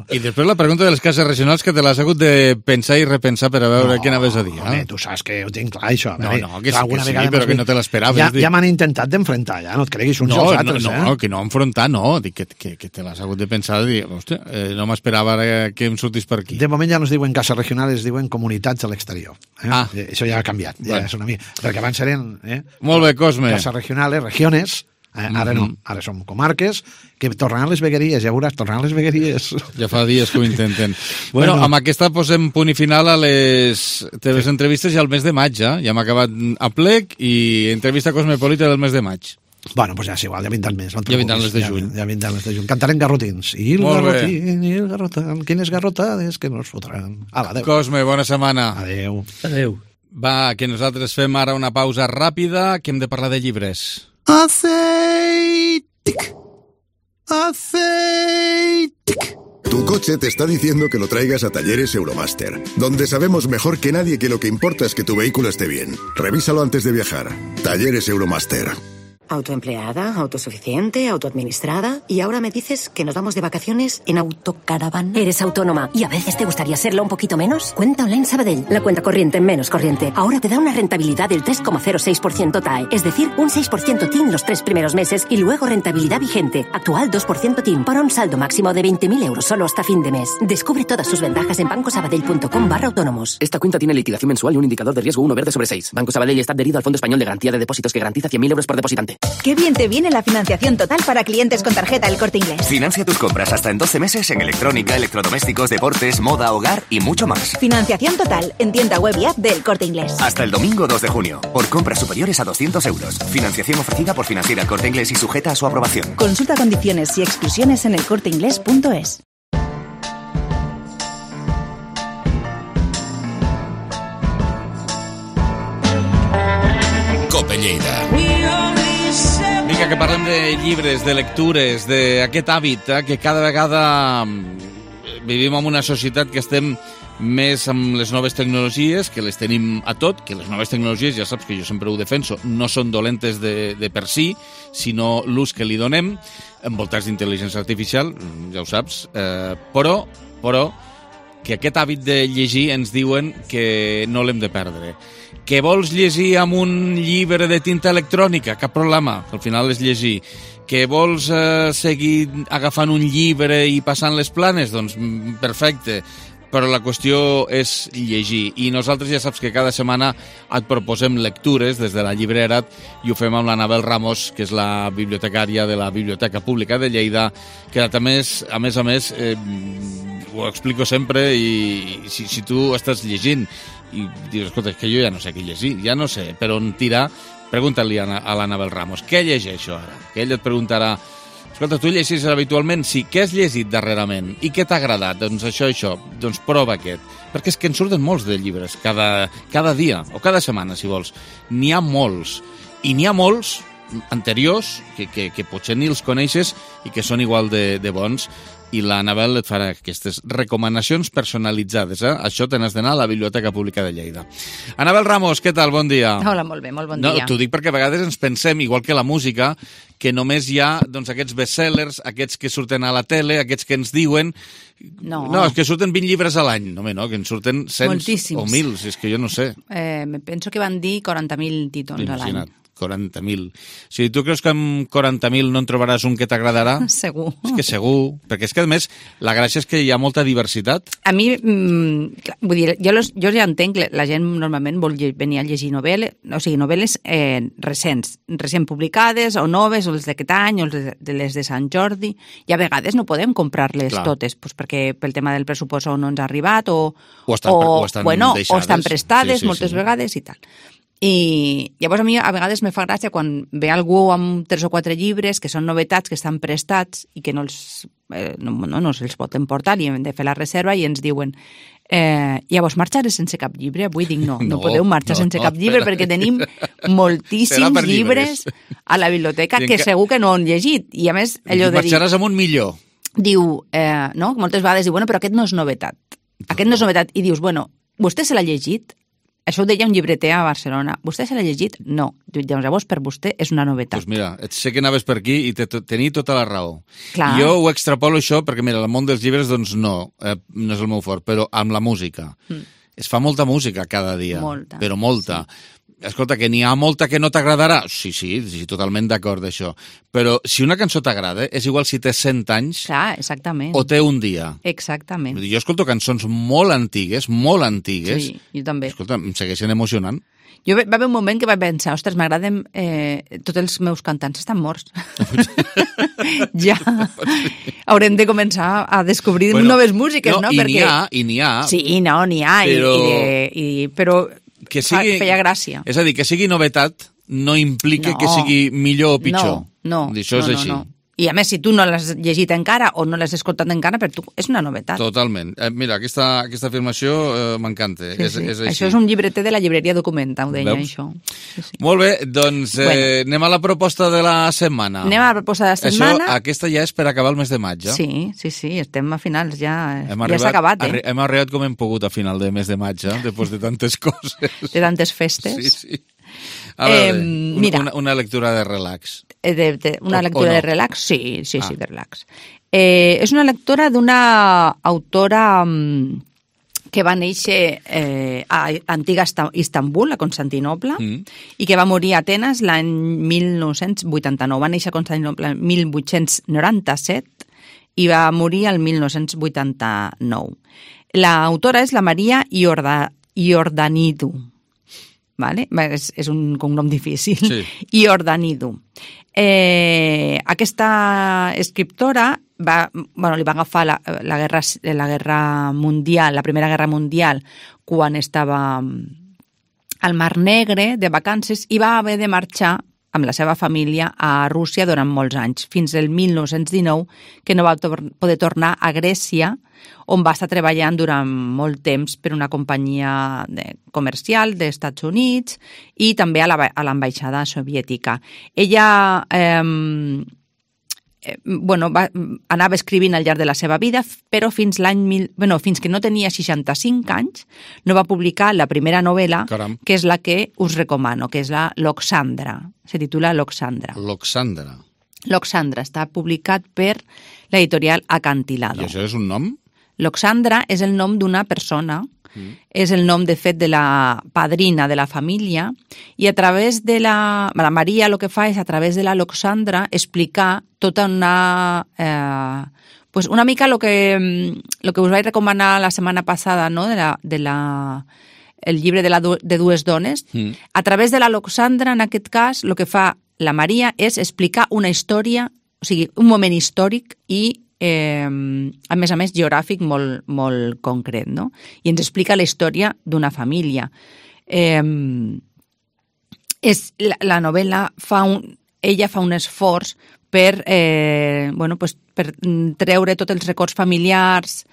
I després la pregunta de les cases regionals, que te l'has hagut de pensar i repensar per a veure què anaves a dir. Tu saps que ho tinc clar, això. Que sí, però que no te l'esperaves. Ja m'han intentat d'enfrontar, ja, no et creguis uns i els altres. No, que no enfrontar, no. Dic que te l'has hagut de pensar i dir, hòstia, no m'esperava que em sortís per aquí. De moment ja no es diuen cases regionals, es diuen comunitats a l'exterior. Això ja ha canviat, ja és una mica. Perquè abans eren... Molt bé, Cosme. Cases regionals, regiones... Ara no, ara som comarques que tornaran les vegueries, ja veuràs, tornaran les vegueries. Ja fa dies que ho intenten. Bueno, amb aquesta posem punt i final a les teves entrevistes i al mes de maig, ja hem acabat a plec i entrevista cosmopolita del mes de maig. Bueno, doncs ja és igual, ja vindran més. Ja vindran les de juny. Ja vindran les de juny. Cantarem garrotins. I el garrotín, i el garrotín. Quines garrotades que nos fotran. Adéu. Cosme, bona setmana. Adéu. Va, que nosaltres fem ara una pausa ràpida, que hem de parlar de llibres. Aceitic. Tu coche te está diciendo que lo traigas a Talleres Euromaster, donde sabemos mejor que nadie que lo que importa es que tu vehículo esté bien. Revísalo antes de viajar. Talleres Euromaster. Autoempleada, autosuficiente, autoadministrada. Y ahora me dices que nos vamos de vacaciones en autocaravana. Eres autónoma y a veces te gustaría serlo un poquito menos. Cuenta Online Sabadell. La cuenta corriente menos corriente. Ahora te da una rentabilidad del 3,06% TAE. Es decir, un 6% TIN los 3 primeros meses y luego rentabilidad vigente. Actual 2% TIN para un saldo máximo de 20.000 euros solo hasta fin de mes. Descubre todas sus ventajas en bancosabadell.com/autónomos. Esta cuenta tiene liquidación mensual y un indicador de riesgo 1 verde sobre 6. Banco Sabadell está adherido al Fondo Español de Garantía de Depósitos que garantiza 100.000 euros por depositante. ¡Qué bien te viene la financiación total para clientes con tarjeta El Corte Inglés! Financia tus compras hasta en 12 meses en electrónica, electrodomésticos, deportes, moda, hogar y mucho más. Financiación total en tienda web y app del Corte Inglés. Hasta el domingo 2 de junio. Por compras superiores a 200 euros. Financiación ofrecida por Financiera El Corte Inglés y sujeta a su aprobación. Consulta condiciones y exclusiones en elcorteinglés.es. Cope Lleida. Vinga, que parlem de llibres, de lectures, d'aquest hàbit que cada vegada vivim en una societat que estem més amb les noves tecnologies, que les tenim a tot, que les noves tecnologies, ja saps que jo sempre ho defenso, no són dolentes de per si, sinó l'ús que li donem, envoltats d'intel·ligència artificial, ja ho saps, però que aquest hàbit de llegir ens diuen que no l'hem de perdre. Que vols llegir amb un llibre de tinta electrònica? Cap problema, al final és llegir. Que vols seguir agafant un llibre i passant les planes? Doncs perfecte, però la qüestió és llegir. I nosaltres ja saps que cada setmana et proposem lectures des de la llibrera i ho fem amb l'Anabel Ramos, que és la bibliotecària de la Biblioteca Pública de Lleida, que a més ho explico sempre i si tu estàs llegint i dius, escolta, és que jo ja no sé què llegir, ja no sé per on tirar, pregunta-li a l'Anabel Ramos, què llegeixo ara? Que ella et preguntarà, escolta, tu llegeixes habitualment? Sí, què has llegit darrerament? I què t'ha agradat? Doncs això, doncs prova aquest. Perquè és que en surten molts de llibres cada dia, o cada setmana, si vols. N'hi ha molts. I n'hi ha molts anteriors que potser ni els coneixes i que són igual de bons. I l'Anabel et farà aquestes recomanacions personalitzades. Això te n'has d'anar a la Biblioteca Pública de Lleida. Anabel Ramos, què tal? Bon dia. Hola, molt bé, molt bon dia. T'ho dic perquè a vegades ens pensem, igual que la música, que només hi ha aquests bestsellers, aquests que surten a la tele, aquests que ens diuen... No, és que surten 20 llibres a l'any. No, que en surten 100 moltíssims. O 1.000, és que jo no sé. Penso que van dir 40.000 títols a l'any. 40.000. Si tu creus que amb 40.000 no en trobaràs un que t'agradarà... Segur. És que segur. Perquè és que, a més, la gràcia és que hi ha molta diversitat. A mi, vull dir, jo ja entenc que la gent normalment vol venir a llegir novel·les recents publicades, o noves, o les d'aquest any, o les de Sant Jordi, i a vegades no podem comprar-les totes, perquè pel tema del pressupost no ens ha arribat, o estan prestades moltes vegades i tal. I llavors a mi a vegades me fa gràcia quan ve algú amb 3 o 4 llibres que són novetats, que estan prestats i que no se'ls pot emportar i hem de fer la reserva i ens diuen llavors marxaré sense cap llibre? Avui dic no podeu marxar sense cap llibre perquè tenim moltíssims llibres a la biblioteca que segur que no han llegit i a més allò de dir... Marxaràs amb un millor. Diu, moltes vegades diu, però aquest no és novetat. Aquest no és novetat. I dius, vostè se l'ha llegit? Això ho deia un llibreter a Barcelona. Vostè se l'ha llegit? No. Llavors, per vostè és una novetat. Doncs mira, sé que anaves per aquí i tenia tota la raó. Clar. Jo ho extrapolo això perquè, mira, el món dels llibres, doncs no és el meu fort, però amb la música. Es fa molta música cada dia. Molta. Però molta. Sí. Escolta, que n'hi ha molta que no t'agradarà? Sí, totalment d'acord d'això. Però si una cançó t'agrada, és igual si té 100 anys... Clar, exactament. O té un dia. Exactament. Jo escolto cançons molt antigues. Sí, jo també. Escolta, em segueixen emocionant. Jo va haver un moment que vaig pensar, ostres, m'agraden... tots els meus cantants estan morts. Ja haurem de començar a descobrir noves músiques, no? I n'hi ha. Sí, n'hi ha. Però feia gràcia. És a dir, que sigui novetat no implica que sigui millor o pitjor. No. Això és així. I a més, si tu no l'has llegit encara o no l'has escoltat encara, per tu és una novetat. Totalment. Mira, aquesta afirmació m'encanta. Sí. És així. Això és un llibreter de la llibreria Documenta, ho deia, això. Sí. Molt bé, doncs anem a la proposta de la setmana. Anem a la proposta de la setmana. Aquesta ja és per acabar el mes de maig, ja? Sí, estem a finals, ja s'ha acabat. Hem arribat com hem pogut a final de mes de maig, després de tantes coses. De tantes festes. Sí. A veure, una lectura de relax. Una lectura de relax? Sí, de relax. És una lectura d'una autora que va néixer a antiga Istanbul, a Constantinoble, i que va morir a Atenes l'any 1989. Va néixer a Constantinoble el 1897 i va morir el 1989. L'autora és la Maria Iordanidou. Vale? És un cognom difícil. Sí. Iordanidou. Aquesta escriptora li va agafar la guerra mundial, la Primera Guerra Mundial, quan estava al Mar Negre de vacances i va haver de marxar amb la seva família a Rússia durant molts anys, fins al 1919, que no va poder tornar a Grècia, on va estar treballant durant molt temps per una companyia comercial dels Estats Units i també a l'ambaixada soviètica. Ella anava escrivint al llarg de la seva vida, però fins que no tenia 65 anys no va publicar la primera novel·la, que és la que us recomano, que és la Loxandra. Se titula Loxandra. Loxandra està publicat per l'editorial Acantilado. I això és un nom? Loxandra és el nom d'una persona, és el nom, de fet, de la padrina de la família, i a través de la Maria el que fa és, a través de la Loxandra, explicar tota una mica el que us vaig recomanar la setmana passada, no?, el llibre de dues dones. A través de la Loxandra, en aquest cas, el que fa la Maria és explicar una història, o sigui, un moment històric i a més geogràfic molt concret, no? I ens explica la història d'una família. La novel·la ella fa un esforç per treure tots els records familiars,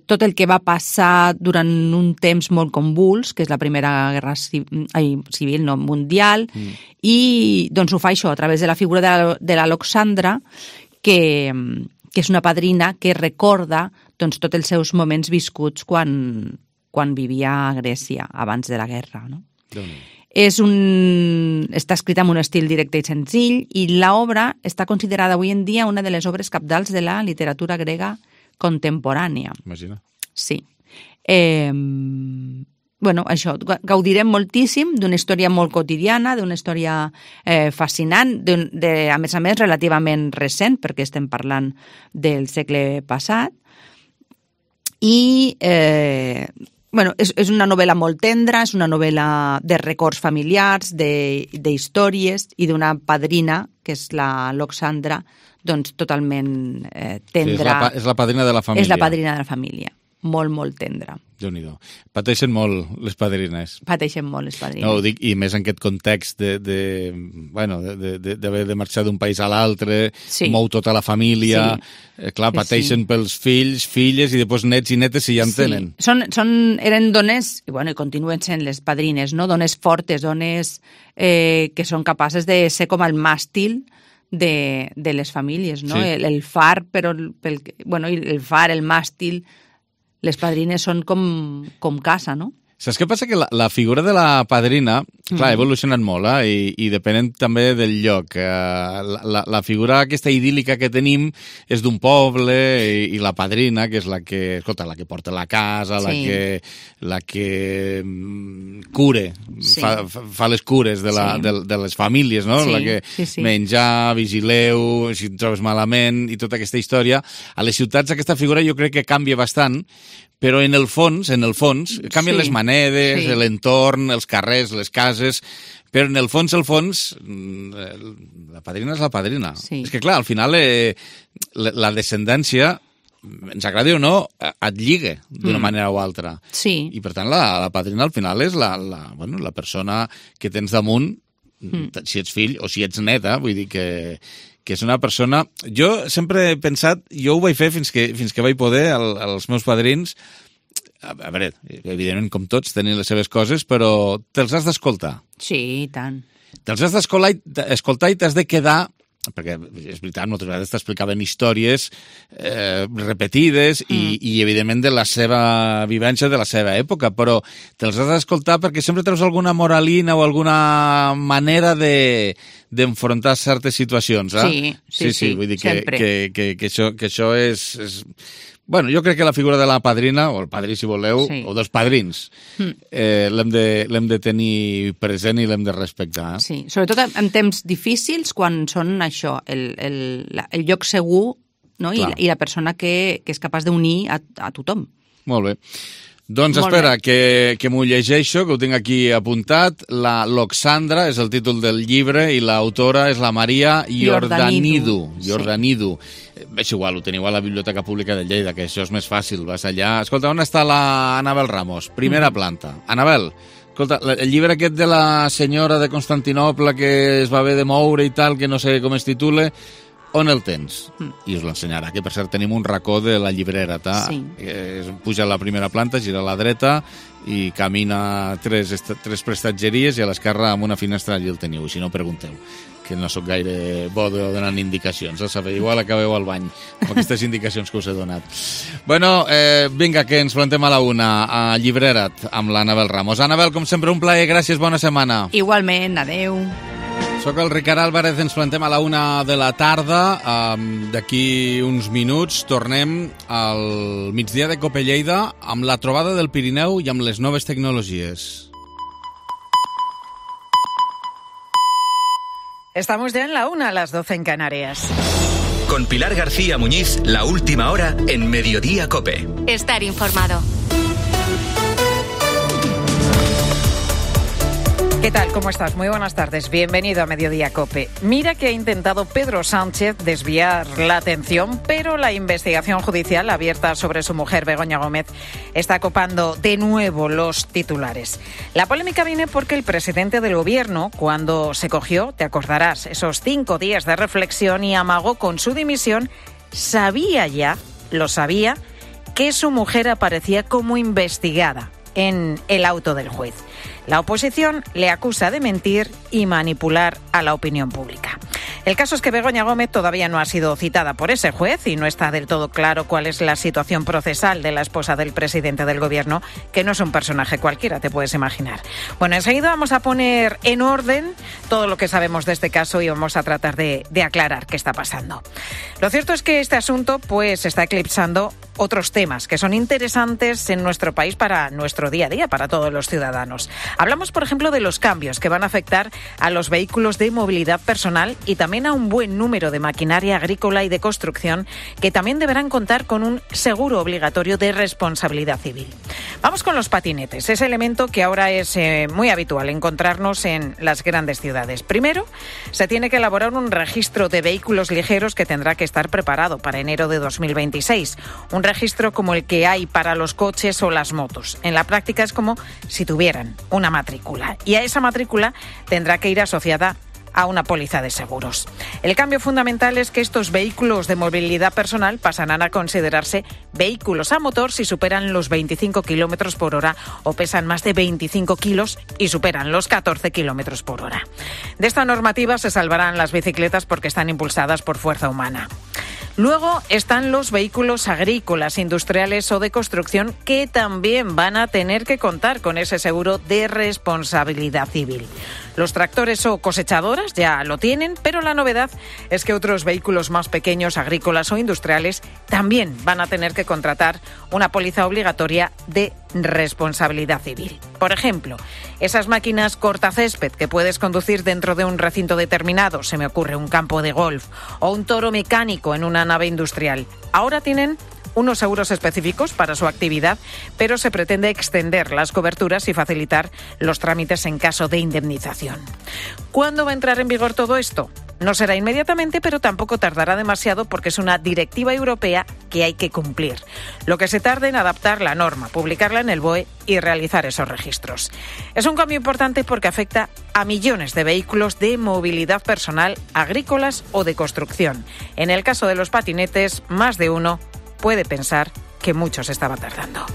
tot el que va passar durant un temps molt convuls, que és la Primera Guerra Civil, no, mundial, i doncs ho fa això a través de la figura de la Loxandra, que és una padrina que recorda doncs, tots els seus moments viscuts quan vivia a Grècia, abans de la guerra. No? Està escrita amb un estil directe i senzill, i l'obra està considerada avui en dia una de les obres cabdals de la literatura grega contemporània. Imagina. Sí. Això, gaudirem moltíssim d'una història molt quotidiana, d'una història fascinant, a més, relativament recent, perquè estem parlant del segle passat, i és una novel·la molt tendra, és una novel·la de records familiars, d'històries, i d'una padrina, que és la Loxandra, doncs totalment tendra. És la padrina de la família. És la padrina de la família. Molt, molt tendra. Déu-n'hi-do. Pateixen molt les padrines. Pateixen molt les padrines. No, ho dic, i més en aquest context d'haver de marxar d'un país a l'altre, mou tota la família, pateixen pels fills, filles, i després nets i netes si ja en tenen. Eren dones, i continuen sent les padrines, no? Dones fortes, dones que són capaces de ser com el màstil de les famílies, no? El far, però el far, el màstil. Les padrines són com casa, no? Saps què passa? Que la figura de la padrina, clar, ha evolucionat molt, i depenent també del lloc. La figura aquesta idíl·lica que tenim és d'un poble, i la padrina, que és la que porta la casa, la que cure, fa les cures de les famílies, no? La que menjar, vigileu, si et trobes malament, i tota aquesta història. A les ciutats aquesta figura jo crec que canvia bastant, però en el fons, canvien les maneres, l'entorn, els carrers, les cases, però en el fons, la padrina és la padrina. És que, clar, al final la descendència, ens agradi o no, et lliga d'una manera o altra. Sí. I, per tant, la padrina al final és la persona que tens damunt, si ets fill o si ets neta, vull dir que és una persona... Jo sempre he pensat, jo ho vaig fer fins que vaig poder, als meus padrins, a veure, evidentment com tots tenen les seves coses, però te'ls has d'escoltar. Sí, i tant. Te'ls has d'escoltar i t'has de quedar, perquè és veritat, moltes vegades t'explicaven històries repetides i evidentment de la seva vivència, de la seva època, però te'ls has d'escoltar perquè sempre treus alguna moralina o alguna manera d'enfrontar certes situacions. Sí, vull dir que això és... Bueno, jo crec que la figura de la padrina, o el padrí si voleu, o dels padrins, l'hem de tenir present i l'hem de respectar. Sí, sobretot en temps difícils, quan són això, el lloc segur, no? I la persona que és capaç d'unir a tothom. Molt bé. Doncs espera, que m'ho llegeixo, que ho tinc aquí apuntat. La Loxandra és el títol del llibre i l'autora és la Maria Iordanidou. És igual, ho teniu a la Biblioteca Pública de Lleida, que això és més fàcil, vas allà. Escolta, on està la Anabel Ramos? Primera planta. Anabel, escolta, el llibre aquest de la senyora de Constantinoble que es va haver de moure i tal, que no sé com es titula, on el tens? I us l'ensenyarà, que per cert tenim un racó de la llibrera, Sí. Puja a la primera planta, gira a la dreta i camina tres prestatgeries i a l'esquerra amb una finestra allí el teniu, si no pregunteu, que no sóc gaire bo donant indicacions, sabeu, igual acabeu al bany amb aquestes indicacions que us he donat. Bueno, vinga, que ens plantem a la una a Llibrera't amb l'Anabel Ramos. Anabel, com sempre, un plaer, gràcies, bona setmana. Igualment, adeu. Soc el Ricard Álvarez, ens plantem a la una de la tarda. D'aquí uns minuts tornem al migdia de Cope Lleida amb la trobada del Pirineu i amb les noves tecnologies. Estamos ya en la una, a las 12 en Canarias. Con Pilar García Muñiz, la última hora en Mediodía Cope. Estar informado. ¿Qué tal? ¿Cómo estás? Muy buenas tardes. Bienvenido a Mediodía Cope. Mira que ha intentado Pedro Sánchez desviar la atención, pero la investigación judicial abierta sobre su mujer, Begoña Gómez, está copando de nuevo los titulares. La polémica viene porque el presidente del gobierno, cuando se cogió, te acordarás, esos 5 días de reflexión y amagó con su dimisión, lo sabía, que su mujer aparecía como investigada en el auto del juez. La oposición le acusa de mentir y manipular a la opinión pública. El caso es que Begoña Gómez todavía no ha sido citada por ese juez y no está del todo claro cuál es la situación procesal de la esposa del presidente del gobierno, que no es un personaje cualquiera, te puedes imaginar. Bueno, enseguida vamos a poner en orden todo lo que sabemos de este caso y vamos a tratar de aclarar qué está pasando. Lo cierto es que este asunto pues está eclipsando otros temas que son interesantes en nuestro país para nuestro día a día, para todos los ciudadanos. Hablamos, por ejemplo, de los cambios que van a afectar a los vehículos de movilidad personal y también a un buen número de maquinaria agrícola y de construcción que también deberán contar con un seguro obligatorio de responsabilidad civil. Vamos con los patinetes, ese elemento que ahora es muy habitual encontrarnos en las grandes ciudades. Primero, se tiene que elaborar un registro de vehículos ligeros que tendrá que estar preparado para enero de 2026. Un registro como el que hay para los coches o las motos. En la práctica es como si tuvieran una matrícula y a esa matrícula tendrá que ir asociada a una póliza de seguros. El cambio fundamental es que estos vehículos de movilidad personal pasarán a considerarse vehículos a motor si superan los 25 kilómetros por hora o pesan más de 25 kilos y superan los 14 kilómetros por hora. De esta normativa se salvarán las bicicletas porque están impulsadas por fuerza humana. Luego están los vehículos agrícolas, industriales o de construcción que también van a tener que contar con ese seguro de responsabilidad civil. Los tractores o cosechadoras ya lo tienen, pero la novedad es que otros vehículos más pequeños, agrícolas o industriales, también van a tener que contratar una póliza obligatoria de responsabilidad civil. Por ejemplo, esas máquinas cortacésped que puedes conducir dentro de un recinto determinado, se me ocurre un campo de golf, o un toro mecánico en una nave industrial, ahora tienen unos seguros específicos para su actividad, pero se pretende extender las coberturas y facilitar los trámites en caso de indemnización. ¿Cuándo va a entrar en vigor todo esto? No será inmediatamente, pero tampoco tardará demasiado porque es una directiva europea que hay que cumplir. Lo que se tarde en adaptar la norma, publicarla en el BOE y realizar esos registros. Es un cambio importante porque afecta a millones de vehículos de movilidad personal, agrícolas o de construcción. En el caso de los patinetes, más de uno puede pensar que mucho se estaba tardando.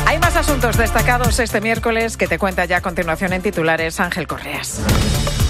Hay más asuntos destacados este miércoles que te cuenta ya a continuación en titulares Ángel Correas.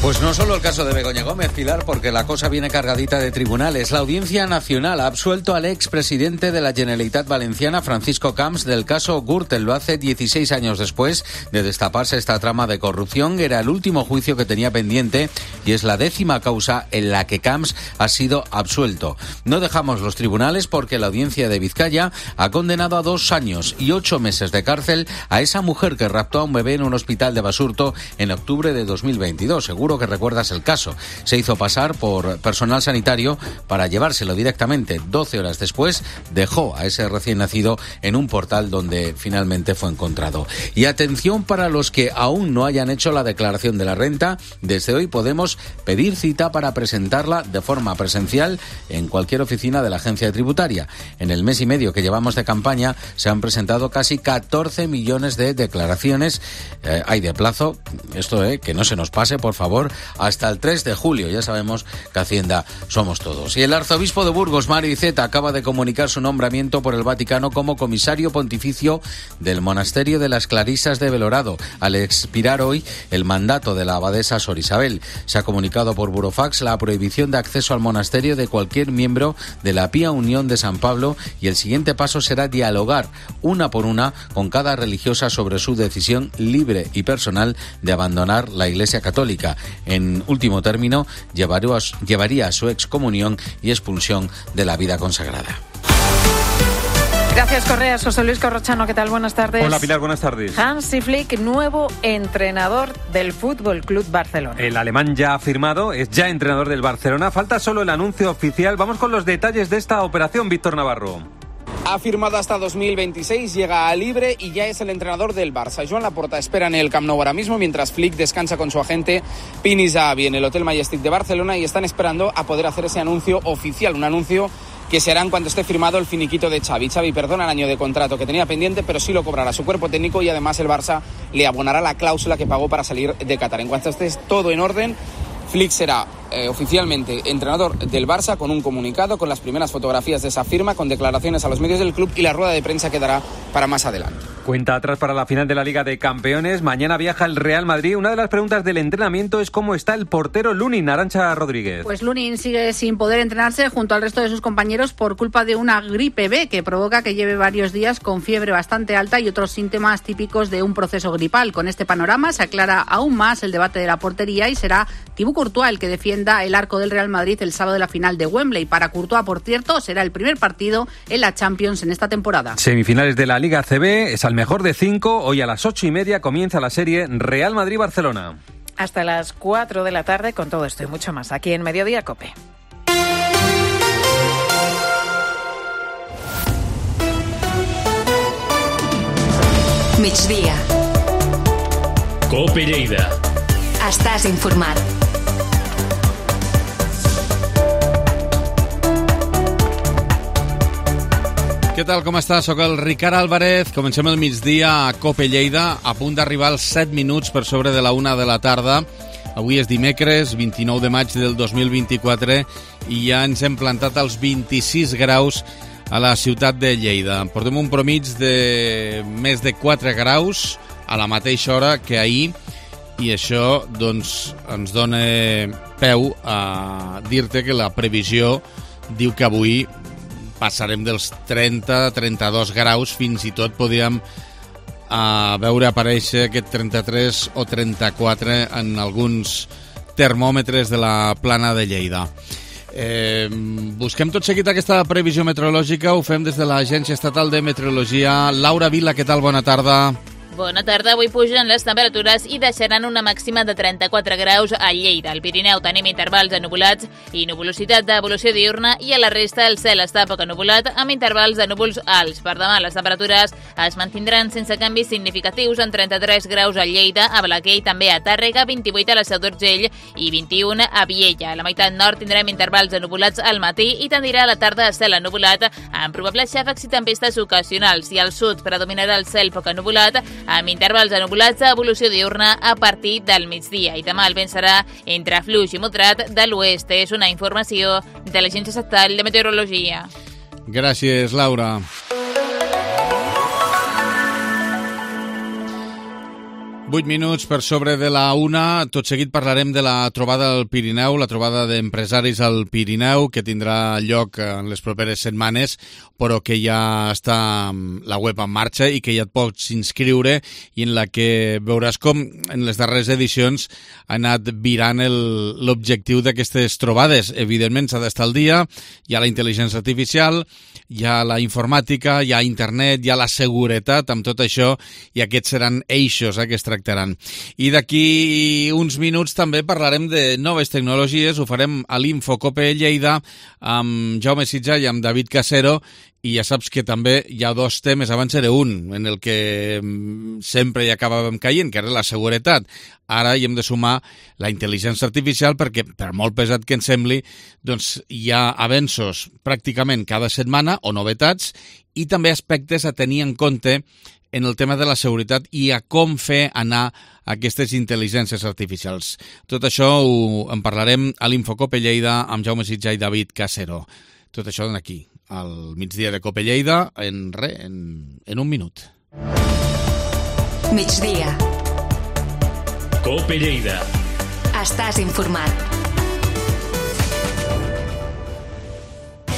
Pues no solo el caso de Begoña Gómez, Pilar, porque la cosa viene cargadita de tribunales. La Audiencia Nacional ha absuelto al expresidente de la Generalitat Valenciana, Francisco Camps, del caso Gürtel. Lo hace 16 años después de destaparse esta trama de corrupción. Era el último juicio que tenía pendiente y es la 10ª causa en la que Camps ha sido absuelto. No dejamos los tribunales porque la Audiencia de Vizcaya ha condenado a 2 años y 8 meses de cárcel a esa mujer que raptó a un bebé en un hospital de Basurto en octubre de 2022. Según seguro que recuerdas el caso. Se hizo pasar por personal sanitario para llevárselo directamente. 12 horas después dejó a ese recién nacido en un portal donde finalmente fue encontrado. Y atención para los que aún no hayan hecho la declaración de la renta, desde hoy podemos pedir cita para presentarla de forma presencial en cualquier oficina de la agencia tributaria. En el mes y medio que llevamos de campaña se han presentado casi 14 millones de declaraciones. Hay de plazo, esto que no se nos pase, por favor, hasta el 3 de julio. Ya sabemos que Hacienda somos todos. Y el arzobispo de Burgos, Mario Iceta, acaba de comunicar su nombramiento por el Vaticano como comisario pontificio del monasterio de las Clarisas de Belorado, al expirar hoy el mandato de la abadesa Sor Isabel. Se ha comunicado por burofax la prohibición de acceso al monasterio de cualquier miembro de la Pía Unión de San Pablo, y el siguiente paso será dialogar una por una con cada religiosa sobre su decisión libre y personal de abandonar la Iglesia Católica. En último término, llevaría a su excomunión y expulsión de la vida consagrada. Gracias, Correas. José Luis Corrochano, ¿qué tal? Buenas tardes. Hola, Pilar, buenas tardes. Hansi Flick, nuevo entrenador del Fútbol Club Barcelona. El alemán ya ha firmado, es ya entrenador del Barcelona. Falta solo el anuncio oficial. Vamos con los detalles de esta operación, Víctor Navarro. Ha firmado hasta 2026, llega a libre y ya es el entrenador del Barça. Joan Laporta espera en el Camp Nou ahora mismo, mientras Flick descansa con su agente Pini Zahavi en el Hotel Majestic de Barcelona, y están esperando a poder hacer ese anuncio oficial, un anuncio que se hará en cuanto esté firmado el finiquito de Xavi. Xavi perdona el año de contrato que tenía pendiente, pero sí lo cobrará su cuerpo técnico, y además el Barça le abonará la cláusula que pagó para salir de Qatar. En cuanto esté todo en orden, Flick será oficialmente entrenador del Barça, con un comunicado, con las primeras fotografías de esa firma, con declaraciones a los medios del club y la rueda de prensa que dará para más adelante. Cuenta atrás para la final de la Liga de Campeones. Mañana viaja el Real Madrid. Una de las preguntas del entrenamiento es cómo está el portero Lunin. Arantxa Rodríguez. Pues Lunin sigue sin poder entrenarse junto al resto de sus compañeros por culpa de una gripe B que provoca que lleve varios días con fiebre bastante alta y otros síntomas típicos de un proceso gripal. Con este panorama se aclara aún más el debate de la portería y será Thibaut Courtois el que defienda el arco del Real Madrid el sábado de la final de Wembley. Para Courtois, por cierto, será el primer partido en la Champions en esta temporada. Semifinales de la Liga CB, es al mejor de 5. Hoy a las 8:30 comienza la serie Real Madrid-Barcelona. Hasta las 4 de la tarde con todo esto y mucho más aquí en Mediodía COPE. Migdia. COPE Lleida. Estàs informat. Què tal, com està? Soc el Ricard Álvarez. Comencem el migdia a COPE Lleida, a punt d'arribar als 7 minuts per sobre de la 1 de la tarda. Avui és dimecres, 29 de maig del 2024, i ja ens hem plantat als 26 graus a la ciutat de Lleida. Portem un promig de més de 4 graus a la mateixa hora que ahir, i això doncs, ens dona peu a dir-te que la previsió diu que avui passarem dels 30-32 graus, fins i tot podríem veure aparèixer aquest 33 o 34 en alguns termòmetres de la plana de Lleida. Busquem tot seguit aquesta previsió meteorològica, ho fem des de l'Agència Estatal de Meteorologia. Laura Vila, què tal? Bona tarda. Bona tarda. Avui pugen les temperatures i deixaran una màxima de 34 graus a Lleida. Al Pirineu tenim intervals ennuvolats i nuvolositat d'evolució diurna, i a la resta el cel està poc ennuvolat amb intervals de núvols alts. Per demà les temperatures es mantindran sense canvis significatius en 33 graus a Lleida, a Balaguer i també a Tàrrega, 28 a la Seu d'Urgell i 21 a Viella. A la meitat nord tindrem intervals ennuvolats al matí i tendirà a la tarda a cel ennuvolat amb probables xàfecs i tempestes ocasionals, i al sud predominarà el cel poc ennuvolat amb intervals ennuvolats a evolució diurna a partir del migdia. I demà el vent serà entre fluix i moderat de l'oest. És una informació de l'Agència Estatal de Meteorologia. Gràcies, Laura. Vuit minuts per sobre de la 1. Tot seguit parlarem de la trobada al Pirineu, la trobada d'empresaris al Pirineu, que tindrà lloc en les properes setmanes, però que ja està la web en marxa i que ja et pots inscriure, i en la que veuràs com en les darreres edicions ha anat virant l'objectiu d'aquestes trobades. Evidentment s'ha d'estar al dia, hi ha la intel·ligència artificial, hi ha la informàtica, hi ha internet, hi ha la seguretat, amb tot això, i aquests seran eixos que es tracten tractaran. I d'aquí uns minuts també parlarem de noves tecnologies, ho farem a l'Infocope Lleida amb Jaume Sitjà i amb David Casero, i ja saps que també hi ha dos temes, abans era un, en el que sempre hi acabàvem caient, que era la seguretat. Ara hi hem de sumar la intel·ligència artificial perquè, per molt pesat que ens sembli, doncs hi ha avenços pràcticament cada setmana o novetats i també aspectes a tenir en compte en el tema de la seguretat i a com fer anar aquestes intel·ligències artificials. Tot això en parlarem a l'Infocope Lleida amb Jaume Sitjà i David Casero. Tot això aquí, al migdia de Cope Lleida, en un minut. Migdia. Cope Lleida. Estàs informat.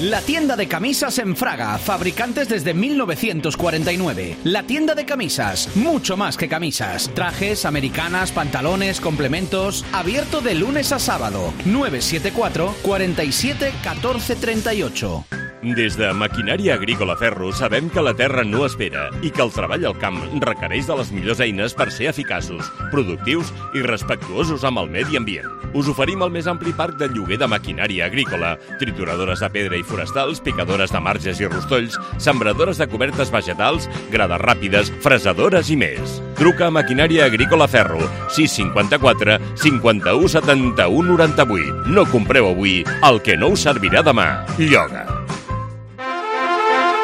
La tienda de camisas en Fraga, fabricantes desde 1949. La tienda de camisas, mucho más que camisas. Trajes, americanas, pantalones, complementos. Abierto de lunes a sábado. 974 47 14 38. Des de Maquinària Agrícola Ferro sabem que la terra no espera i que el treball al camp requereix de les millors eines per ser eficaços, productius i respectuosos amb el medi ambient. Us oferim el més ampli parc de lloguer de maquinària agrícola, trituradores de pedra i forestals, picadores de marges i rostolls, sembradores de cobertes vegetals, grades ràpides, fresadores i més. Truca a Maquinària Agrícola Ferro, 654 51 71 98. No compreu avui el que no us servirà demà. Lloga.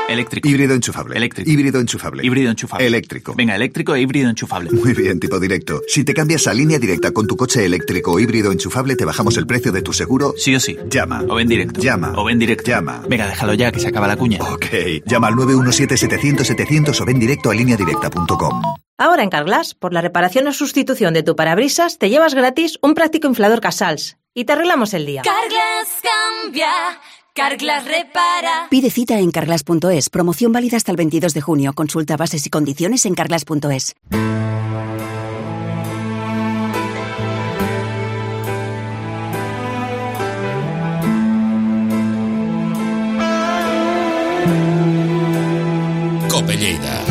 Eléctrico. Híbrido enchufable. Eléctrico. Híbrido enchufable. Híbrido enchufable. Eléctrico. Venga, eléctrico e híbrido enchufable. Muy bien, tipo directo. Si te cambias a Línea Directa con tu coche eléctrico o híbrido enchufable, te bajamos el precio de tu seguro. Sí o sí. Llama. O ven directo. Llama. O ven directo. Llama. Venga, déjalo ya, que se acaba la cuña. Ok. Llama al 917-700-700 o ven directo a lineadirecta.com. Ahora en Carglass, por la reparación o sustitución de tu parabrisas, te llevas gratis un práctico inflador Casals y te arreglamos el día. Carglass cambia. Carglass repara. Pide cita en carglass.es. Promoción válida hasta el 22 de junio. Consulta bases y condiciones en carglass.es. Cope Lleida.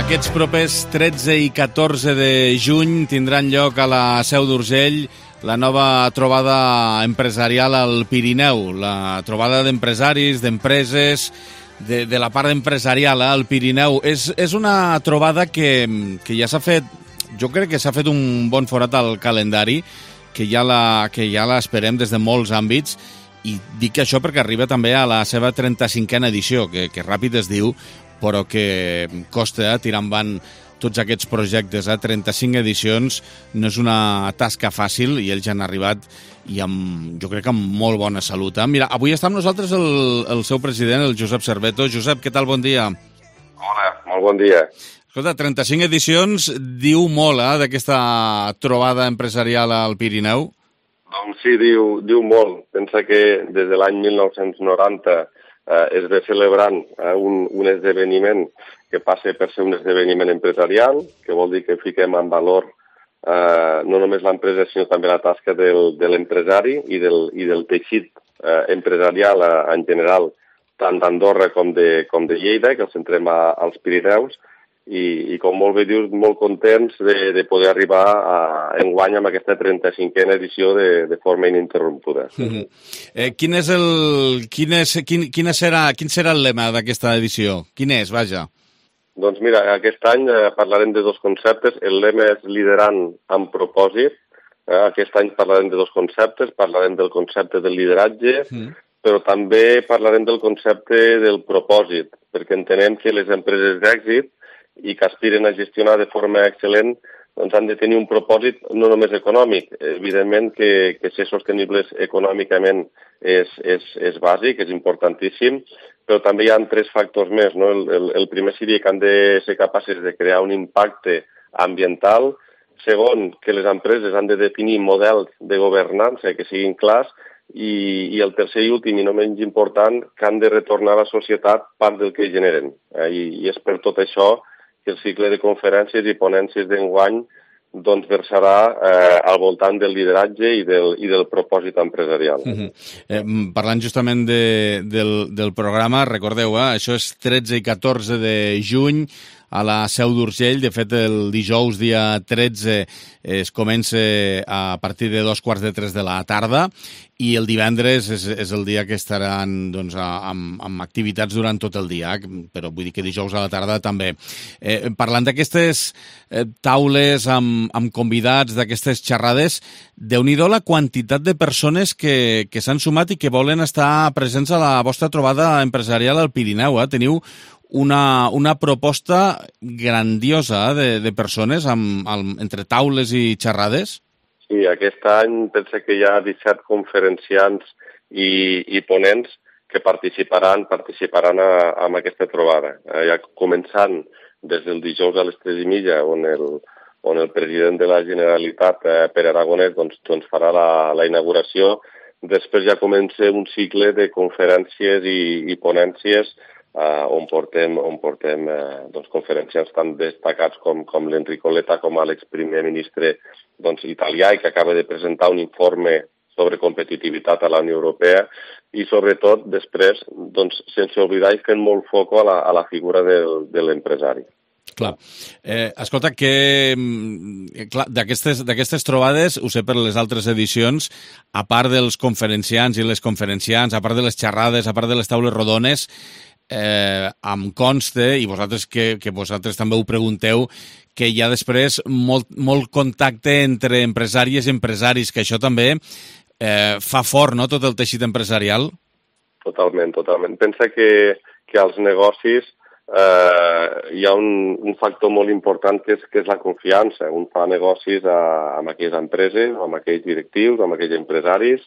Aquests propers 13 i 14 de juny tindran lloc a la Seu d'Urgell la nova trobada empresarial al Pirineu, la trobada d'empresaris, d'empreses, de la part empresarial al Pirineu. És una trobada que ja s'ha fet, jo crec que s'ha fet un bon forat al calendari, que ja l'esperem des de molts àmbits, i dic això perquè arriba també a la seva 35a edició, que ràpid es diu, però que costa tirar endavant tots aquests projectes. 35 edicions no és una tasca fàcil i ells han arribat i jo crec que amb molt bona salut. Mira, avui està amb nosaltres el seu president, el Josep Cerveto. Josep, què tal? Bon dia. Hola, molt bon dia. Escolta, 35 edicions diu molt d'aquesta trobada empresarial al Pirineu. Doncs sí, diu molt. Pensa que des de l'any 1990 es ve celebrant un esdeveniment que passa per ser un esdeveniment empresarial, que vol dir que fiquem en valor no només l'empresa, sinó també la tasca de l'empresari i del teixit empresarial en general, tant d'Andorra com de Lleida, que el centrem als Pirineus, i com molt bé dius, molt contents de poder arribar enguany amb aquesta 35a edició de forma ininterrompuda. Quin serà el lema d'aquesta edició? Quin és, vaja? Doncs mira, aquest any parlarem de dos conceptes. El lema és liderant amb propòsit. Aquest any parlarem de dos conceptes. Parlarem del concepte del lideratge, però també parlarem del concepte del propòsit, perquè entenem que les empreses d'èxit i que aspiren a gestionar de forma excel·lent doncs han de tenir un propòsit no només econòmic. Evidentment que ser sostenibles econòmicament és bàsic, és importantíssim, però també hi ha 3 factors més, no? El primer seria que han de ser capaces de crear un impacte ambiental. Segon, que les empreses han de definir models de governança que siguin clars. I el tercer i últim, i no menys important, que han de retornar a la societat part del que generen. I és per tot això que el cicle de conferències i ponències d'enguany doncs versarà al voltant del lideratge i del propòsit empresarial. Parlant justament del programa, recordeu, això és 13 i 14 de juny a la Seu d'Urgell. De fet, el dijous, dia 13, es comença a partir de 2:45 de la tarda i el divendres és el dia que estaran doncs, amb activitats durant tot el dia, però vull dir que dijous a la tarda també. Parlant d'aquestes taules amb convidats, d'aquestes xerrades, déu-n'hi-do la quantitat de persones que s'han sumat i que volen estar presents a la vostra trobada empresarial al Pirineu. Teniu una proposta grandiosa de persones entre taules i xerrades? Sí, aquest any penso que hi ha 17 conferenciants i ponents que participaran en aquesta trobada. Ja començant des del dijous a les 3:30, on el president de la Generalitat, Pere Aragonès, doncs farà la inauguració. Després ja comença un cicle de conferències i ponències on portem conferenciants tan destacats com l'Enrico Letta, com l'exprimer ministre italià, i que acaba de presentar un informe sobre competitivitat a la Unió Europea, i sobretot després, sense oblidar i fent molt foc a la figura de l'empresari. Clar. Escolta, que d'aquestes trobades, ho sé per les altres edicions, a part dels conferenciants i les conferenciants, a part de les xerrades, a part de les taules rodones, em consta, i vosaltres que vosaltres també ho pregunteu, que hi ha després molt contacte entre empresàries i empresaris, que això també fa fort, no?, tot el teixit empresarial. Totalment. Pensa que als negocis hi ha un factor molt important que és la confiança. Un fa negocis amb aquelles empreses, amb aquells directius, amb aquells empresaris,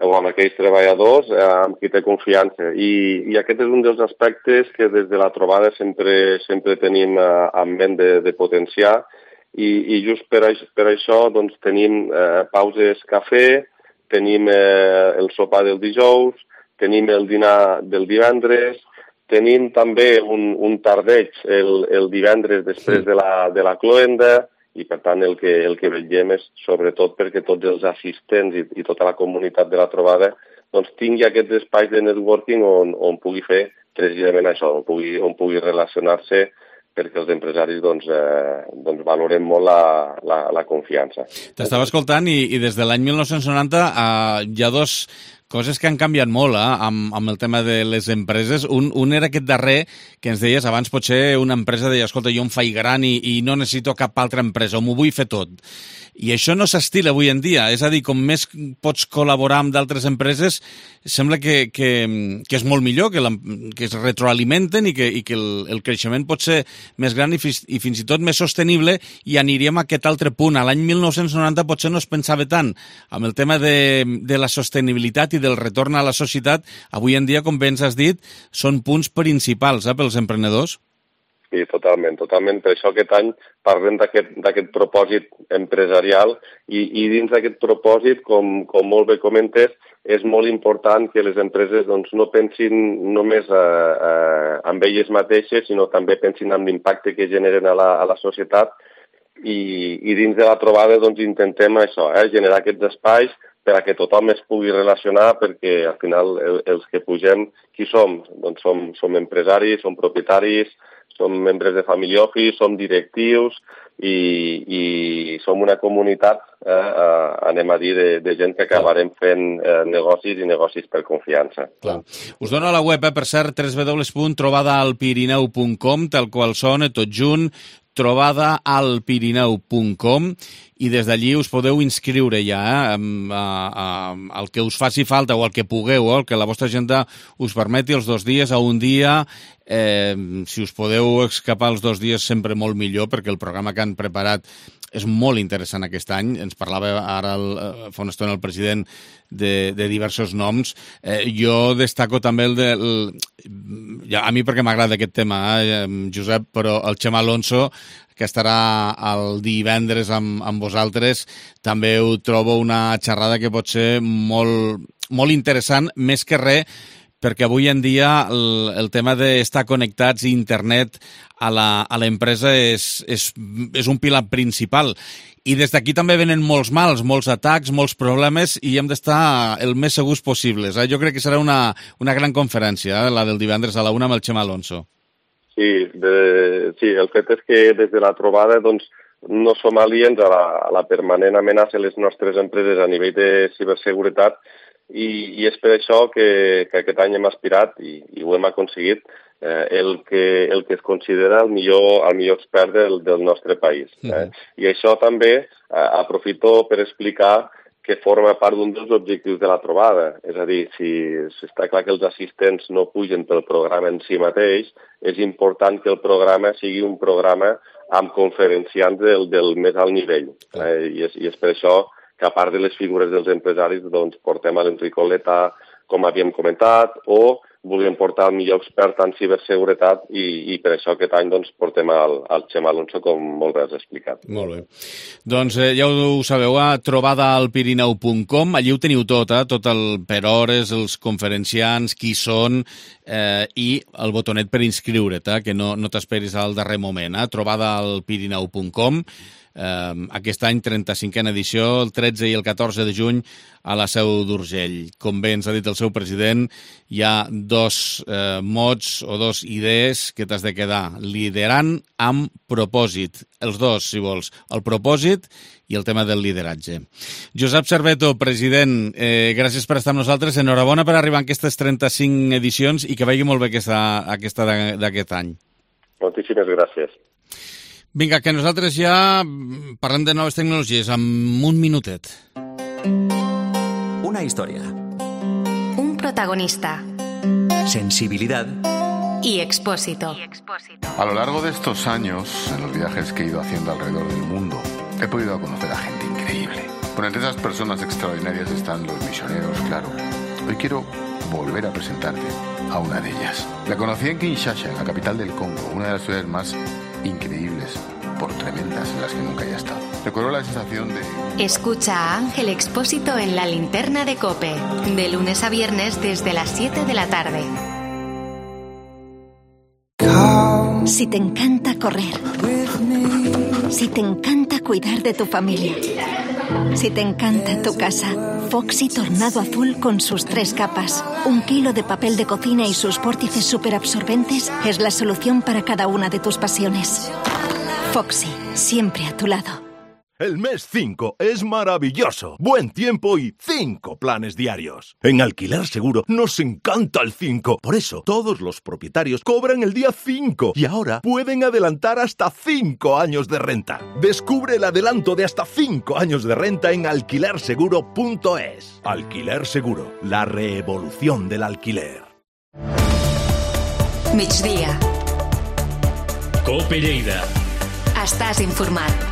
o amb aquells treballadors amb qui té confiança. I aquest és un dels aspectes que des de la trobada sempre tenim en ment de potenciar, i just per això tenim pauses cafè, tenim el sopar del dijous, tenim el dinar del divendres, tenim també un tardeig el divendres després de la cloenda, i per tant el que vetllem és sobretot perquè tots els assistents i tota la comunitat de la trobada tingui aquests espais de networking on pugui fer precisament això, on pugui relacionar-se, perquè els empresaris valorem molt la confiança. T'estava escoltant i des de l'any 1990 hi ha dos coses que han canviat molt amb el tema de les empreses. Un era aquest darrer que ens deies, abans potser una empresa deia, escolta, jo em faig gran i no necessito cap altra empresa, o m'ho vull fer tot. I això no s'estila avui en dia, és a dir, com més pots col·laborar amb d'altres empreses, sembla que és molt millor, que es retroalimenten i que el creixement pot ser més gran i fins i tot més sostenible, i aniríem a aquest altre punt. A l'any 1990 potser no es pensava tant amb el tema de la sostenibilitat i del retorn a la societat. Avui en dia, com bé ens has dit, són punts principals pels emprenedors. Sí, totalment. Per això aquest any parlem d'aquest propòsit empresarial i dins d'aquest propòsit, com molt bé comentes, és molt important que les empreses no pensin només en elles mateixes, sinó també pensin en l'impacte que generen a la societat, i dins de la trobada intentem això, generar aquests espais per a que tothom es pugui relacionar, perquè al final els que pugem, qui som? Doncs som empresaris, som propietaris, som membres de family office, som directius i som una comunitat, anem a dir, de gent que acabarem fent negocis i negocis per confiança. Clar. Us dono a la web, per cert, www.trobadaalpirineu.com, tal qual sona, tot junt, trobadaalpirineu.com, i des d'allí us podeu inscriure ja al que us faci falta o al que pugueu, el que la vostra agenda us permeti, els 2 dies a un dia. Si us podeu escapar els 2 dies, sempre molt millor, perquè el programa que han preparat és molt interessant aquest any. Ens parlava ara fa una estona el president de diversos noms. Jo destaco també a mi perquè m'agrada aquest tema, Josep, però el Xema Alonso, que estarà el divendres amb vosaltres, també ho trobo una xerrada que pot ser molt interessant, més que res, perquè avui en dia el tema d'estar connectats a internet a l'empresa és un pilar principal. I des d'aquí també venen molts mals, molts atacs, molts problemes, i hem d'estar el més segurs possibles. Jo crec que serà una gran conferència, la del divendres a la 1 amb el Xema Alonso. Sí, el fet és que des de la trobada doncs, no som aliens a la permanent amenaça a les nostres empreses a nivell de ciberseguretat i és per això que aquest any hem aspirat i ho hem aconseguit el que es considera el millor expert del nostre país. I això també aprofito per explicar que forma part d'un dels objectius de la trobada. És a dir, si està clar que els assistents no pugen pel programa en si mateix, és important que el programa sigui un programa amb conferenciants del més alt nivell. I és per això que, a part de les figures dels empresaris, doncs, portem a l'Enric Oleta, com havíem comentat, o volíem portar el millor expert en ciberseguretat i per això aquest any doncs, portem el Xema Alonso, com molt bé has explicat. Molt bé. Doncs ja ho sabeu, a trobadaalpirineu.com, allí ho teniu tot per hores, els conferenciants, qui són i el botonet per inscriure't, que no t'esperis al darrer moment. Trobadaalpirineu.com. Aquest any, 35a edició, el 13 i el 14 de juny a la Seu d'Urgell. Com bé ens ha dit el seu president, hi ha dos mots o dos idees que t'has de quedar liderant amb propòsit. Els dos, si vols, el propòsit i el tema del lideratge. Josep Cerveto, president, gràcies per estar amb nosaltres. Enhorabona per arribar a aquestes 35 edicions i que vagi molt bé aquesta d'aquest any. Moltíssimes gràcies. Vinga, que nosaltres ja parlem de noves tecnologies en un minutet. Una historia. Un protagonista. Sensibilidad. Y Expósito. A lo largo de estos años, en los viajes que he ido haciendo alrededor del mundo, he podido conocer a gente increíble. Bueno, entre esas personas extraordinarias están los misioneros, claro. Hoy quiero volver a presentarte a una de ellas. La conocí en Kinshasa, en la capital del Congo, una de las ciudades más increíbles, por tremendas en las que nunca haya estado. Recuerdo la sensación de... Escucha a Ángel Expósito en La Linterna de COPE, de lunes a viernes desde las 7 de la tarde. Si te encanta correr, si te encanta cuidar de tu familia, si te encanta tu casa, Foxy Tornado Azul con sus 3 capas, 1 kilo de papel de cocina y sus vórtices superabsorbentes es la solución para cada una de tus pasiones. Foxy, siempre a tu lado. El mes 5 es maravilloso. Buen tiempo y 5 planes diarios. En Alquiler Seguro nos encanta el 5. Por eso, todos los propietarios cobran el día 5. Y ahora pueden adelantar hasta 5 años de renta. Descubre el adelanto de hasta 5 años de renta en alquilerseguro.es. Alquiler Seguro, la revolución del alquiler. Migdia. COPE Lleida. Estàs informat.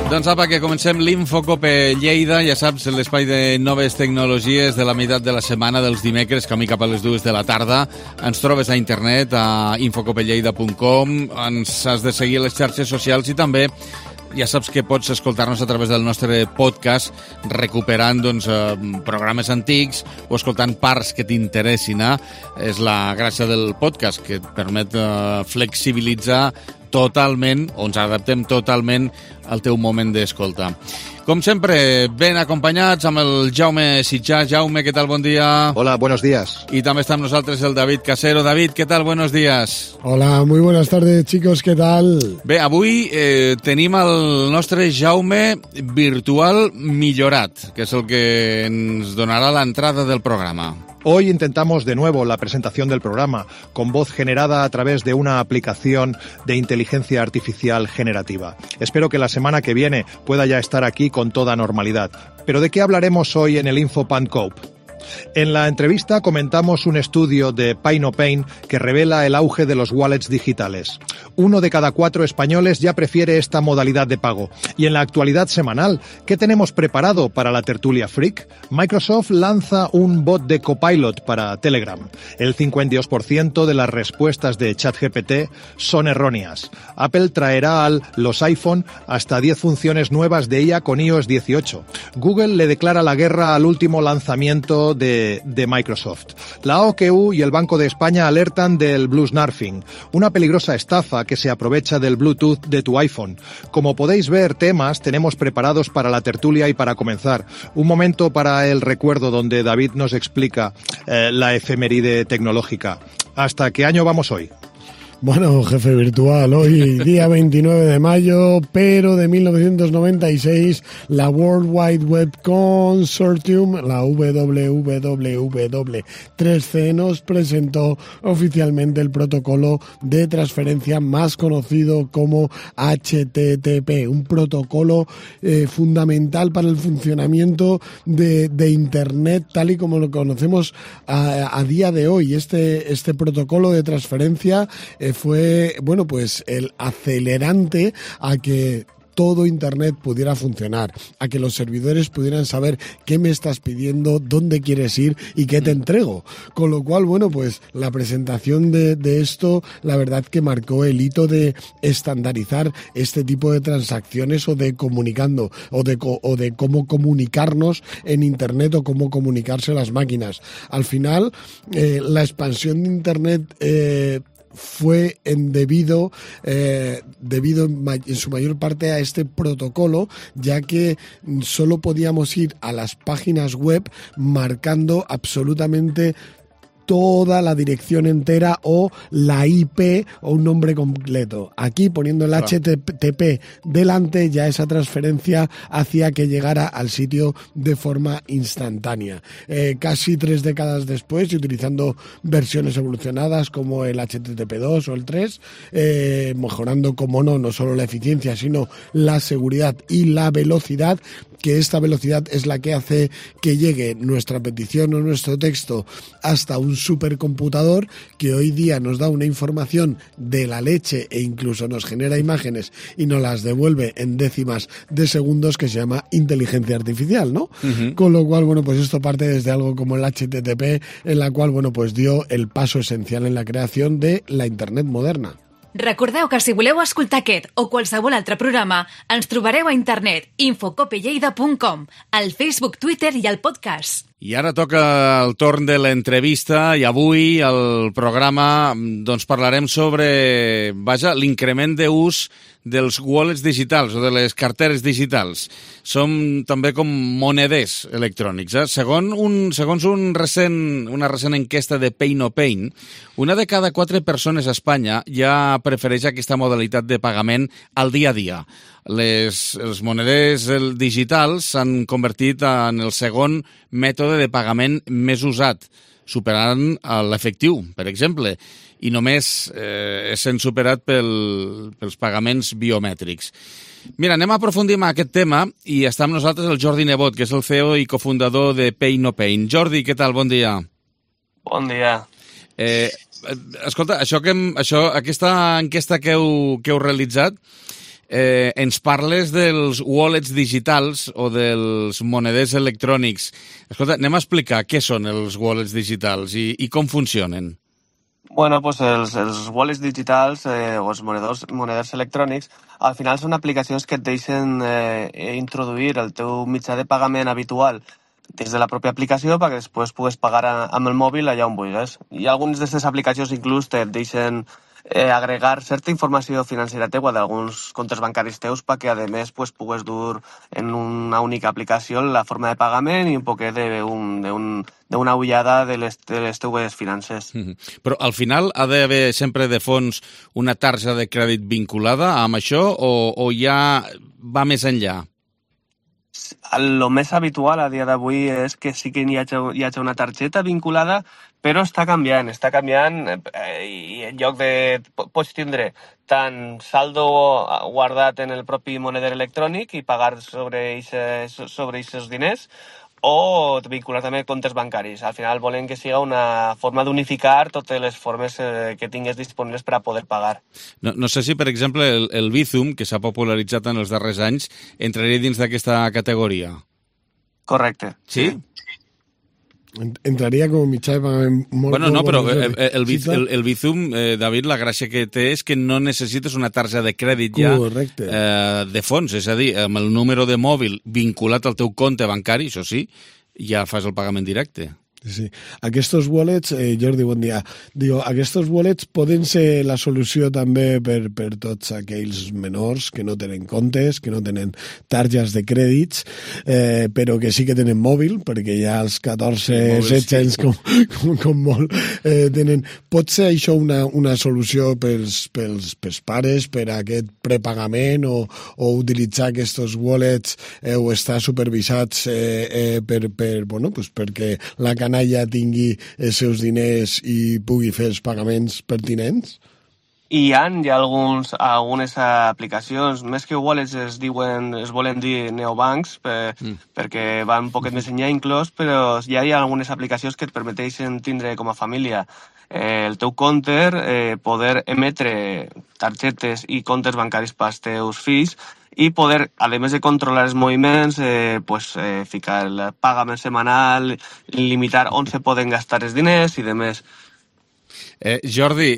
Doncs apa, que comencem l'Infocope Lleida, ja saps, l'espai de noves tecnologies de la meitat de la setmana, dels dimecres, camí cap a les 2 de la tarda. Ens trobes a internet, a infocopelleida.com, ens has de seguir a les xarxes socials i també ja saps que pots escoltar-nos a través del nostre podcast, recuperant programes antics o escoltant parts que t'interessin. És la gràcia del podcast, que et permet flexibilitzar totalment, o ens adaptem totalment al teu moment d'escolta. Com sempre, ben acompanyats amb el Jaume Sitjà. Jaume, què tal? Bon dia. Hola, buenos días. Y también está con nosotros el David Casero. David, ¿qué tal? Buenos días. Hola, muy buenas tardes, chicos, ¿qué tal? Bé, avui tenim el nostre Jaume virtual millorat, que és el que ens donarà l'entrada del programa. Hoy intentamos de nuevo la presentación del programa, con voz generada a través de una aplicación de inteligencia artificial generativa. Espero que la semana que viene pueda ya estar aquí con toda normalidad. ¿Pero de qué hablaremos hoy en el InfoPanCope? En la entrevista comentamos un estudio de PayNoPain que revela el auge de los wallets digitales. 1 de cada 4 españoles ya prefiere esta modalidad de pago. Y en la actualidad semanal, ¿qué tenemos preparado para la tertulia freak? Microsoft lanza un bot de Copilot para Telegram. El 52% de las respuestas de ChatGPT son erróneas. Apple traerá a los iPhone hasta 10 funciones nuevas de IA con iOS 18. Google le declara la guerra al último lanzamiento código de Microsoft. La OQU y el Banco de España alertan del Blue Snarfing, una peligrosa estafa que se aprovecha del Bluetooth de tu iPhone. Como podéis ver, temas tenemos preparados para la tertulia y para comenzar. Un momento para el recuerdo donde David nos explica la efeméride tecnológica. ¿Hasta qué año vamos hoy? Bueno, jefe virtual, hoy día 29 de mayo, pero de 1996, la World Wide Web Consortium, la WWW3C, nos presentó oficialmente el protocolo de transferencia más conocido como HTTP, un protocolo fundamental para el funcionamiento de Internet tal y como lo conocemos a día de hoy. Este protocolo de transferencia fue, bueno, pues el acelerante a que todo Internet pudiera funcionar, a que los servidores pudieran saber qué me estás pidiendo, dónde quieres ir y qué te entrego. Con lo cual, bueno, pues la presentación de esto, la verdad que marcó el hito de estandarizar este tipo de transacciones o de comunicando, o de cómo comunicarnos en Internet o cómo comunicarse las máquinas. Al final, la expansión de Internet fue debido en su mayor parte a este protocolo, ya que solo podíamos ir a las páginas web marcando absolutamente toda la dirección entera o la IP o un nombre completo. Aquí, poniendo el HTTP delante, ya esa transferencia hacía que llegara al sitio de forma instantánea. Casi 3 décadas después, y utilizando versiones evolucionadas como el HTTP2 o el 3, mejorando, como no solo la eficiencia, sino la seguridad y la velocidad, que esta velocidad es la que hace que llegue nuestra petición o nuestro texto hasta un supercomputador que hoy día nos da una información de la leche e incluso nos genera imágenes y nos las devuelve en décimas de segundos, que se llama inteligencia artificial, ¿no? Uh-huh. Con lo cual, bueno, pues esto parte desde algo como el HTTP, en la cual, bueno, pues dio el paso esencial en la creación de la Internet moderna. Recordeu que si voleu escoltar aquest o qualsevol altre programa, ens trobareu a internet infocopelleida.com, al Facebook, Twitter i al podcast. I ara toca el torn de l'entrevista i avui al programa doncs parlarem sobre l'increment d'ús dels wallets digitals o de les carteres digitals. Som també com moneders electrònics. Segons una recent enquesta de Pay No Pain, una de cada 4 persones a Espanya ja prefereix aquesta modalitat de pagament al dia a dia. Els moneders digitals s'han convertit en el segon mètode de pagament més usat, superant l'efectiu, per exemple, i només sent superat pels pagaments biomètrics. Mira, anem a aprofundir en aquest tema i està amb nosaltres el Jordi Nebot, que és el CEO i cofundador de Pay No Pain. Jordi, què tal? Bon dia. Bon dia. Escolta, aquesta enquesta que heu realitzat, ens parles dels wallets digitals o dels moneders electrònics. Escolta, anem a explicar què són els wallets digitals i com funcionen. Bueno, pues els wallets digitals o els moneders electrònics al final són aplicacions que et deixen introduir el teu mitjà de pagament habitual des de la pròpia aplicació perquè després pugues pagar amb el mòbil allà on vulguis. I algunes d'aquestes aplicacions inclús et deixen agregar certa informació financera teua d'alguns comptes bancaris teus perquè, a més, pugues dur en una única aplicació la forma de pagament i un poquet d'una ullada de les teues finances. Però al final ha d'haver sempre de fons una tarja de crèdit vinculada amb això o ja va més enllà? El més habitual a dia d'avui és que sí que hi hagi una targeta vinculada, però està canviant i en lloc de pots tindre tant saldo guardat en el propi moneder electrònic i pagar sobre aquests diners o vincular també comptes bancaris. Al final volen que siga una forma d'unificar totes les formes que tingues disponibles per a poder pagar. No sé si, per exemple, el Bizum, que s'ha popularitzat en els darrers anys, entraria dins d'aquesta categoria. Correcte. Sí? Entraria com mitjà de pagament molt... Bueno, no, però el Bizum, David, la gràcia que té és que no necessites una tarja de crèdit ja de fons, és a dir, amb el número de mòbil vinculat al teu compte bancari, això sí, ja fas el pagament directe. Sí. Aquests wallets, Jordi, bon dia. Digo, aquests wallets poden ser la solució també per tots aquells menors que no tenen comptes, que no tenen targes de crèdits, però que sí que tenen mòbil, perquè ja els 14-16 anys com molt tenen. Pot ser això una solució pels pares, per a aquest prepagament o utilitzar aquests wallets o estar supervisats perquè la canalla tingui els seus diners i pugui fer els pagaments pertinents? Hi ha algunes aplicacions, més que wallets es volen dir neobancs, perquè van un poquet més enllà inclòs, però ja hi ha algunes aplicacions que et permeteixen tindre com a família el teu compte, poder emetre targetes i comptes bancaris pels teus fills i poder, a més de controlar els moviments, ficar el pagament setmanal, limitar on se poden gastar els diners i demés. Jordi,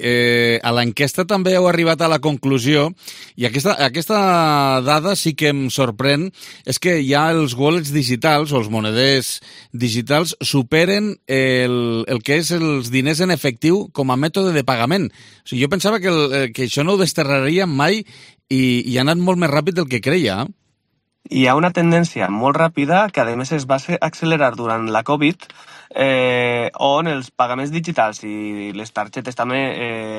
a l'enquesta també heu arribat a la conclusió, i aquesta dada sí que em sorprèn, és que ja els wallets digitals o els moneders digitals superen el que és els diners en efectiu com a mètode de pagament. O sigui, jo pensava que això no ho desterraria mai i ha anat molt més ràpid del que creia. Hi ha una tendència molt ràpida que a més es va accelerar durant la Covid, on els pagaments digitals i les targetes també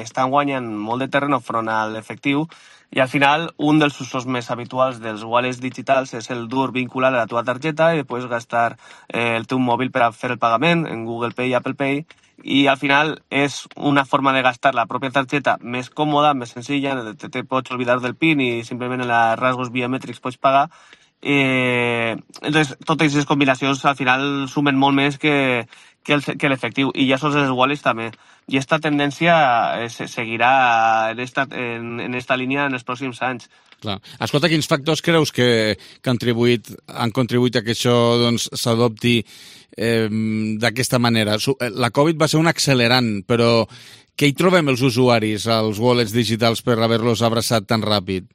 estan guanyant molt de terreny front a l'efectiu, i al final un dels usos més habituals dels wallets digitals és el dur vincular a la teva targeta i després gastar el teu mòbil per a fer el pagament en Google Pay i Apple Pay, i al final és una forma de gastar la pròpia targeta més còmoda, més senzilla, te pots oblidar del PIN i simplement en els rasgos biometrics pots pagar. Entonces, totes aquestes combinacions al final sumen molt més que l'efectiu, i ja sols els wallets també, i aquesta tendència seguirà en esta línia en els pròxims anys. Clar. Escolta, quins factors creus que han contribuït a que això s'adopti d'aquesta manera? La Covid va ser un accelerant, però què hi trobem els usuaris als wallets digitals per haver-los abraçat tan ràpid?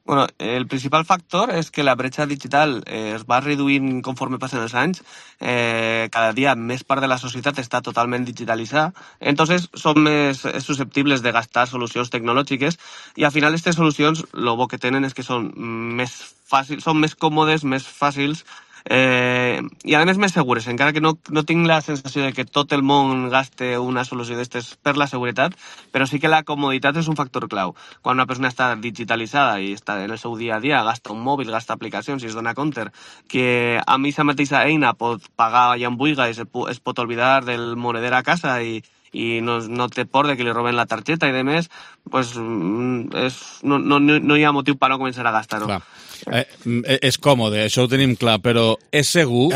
Bueno, el principal factor és que la bretxa digital es va reduint conforme passen els anys. Cada dia més part de la societat està totalment digitalitzada, entonces són més susceptibles de gastar solucions tecnològiques, i al final aquestes solucions el bo que tenen és que són més fàcils, són més còmodes, més fàcils, i a més segures, encara que no tinc la sensació de que tot el món gaste una solució d'estes per la seguretat, però sí que la comoditat és un factor clau. Quan una persona està digitalitzada i està en el seu dia a dia, gasta un mòbil, gasta aplicacions i es dona compte que amb aquesta mateixa eina pot pagar allà on vulgui i es pot oblidar del moneder a casa i no té por de que li roben la targeta i demés, pues no hi ha motiu per no començar a gastar-ho. És còmode, això ho tenim clar, però és segur,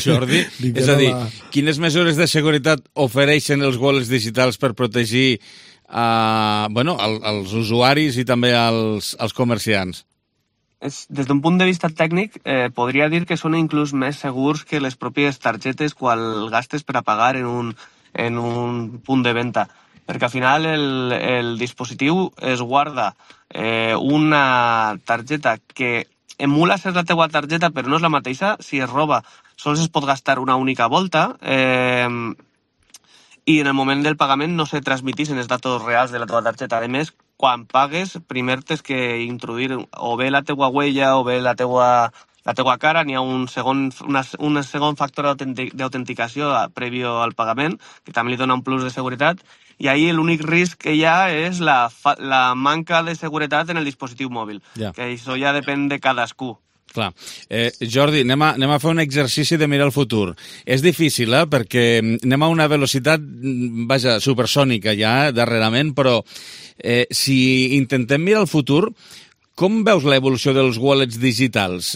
Jordi? És a dir, quines mesures de seguretat ofereixen els wallets digitals per protegir els usuaris i també els comerciants? Des d'un punt de vista tècnic, podria dir que són inclús més segurs que les pròpies targetes quan gastes per a pagar en un punt de venda, perquè al final el dispositiu es guarda una targeta que emula ser la teua targeta però no és la mateixa. Si es roba sols es pot gastar una única volta, i en el moment del pagament no se transmitixen els datos reals de la teva targeta. A més, quan pagues, primer tens que introduir o bé la teua huella o bé la teua cara. N'hi ha un segon factor d'autenticació prèvio al pagament, que també li dona un plus de seguretat, i ahí l'únic risc que hi ha és la manca de seguretat en el dispositiu mòbil, que això ja depèn de cadascú. Clar. Jordi, anem a fer un exercici de mirar el futur. És difícil, perquè anem a una velocitat, supersònica ja, darrerament, però si intentem mirar el futur, com veus l'evolució dels wallets digitals?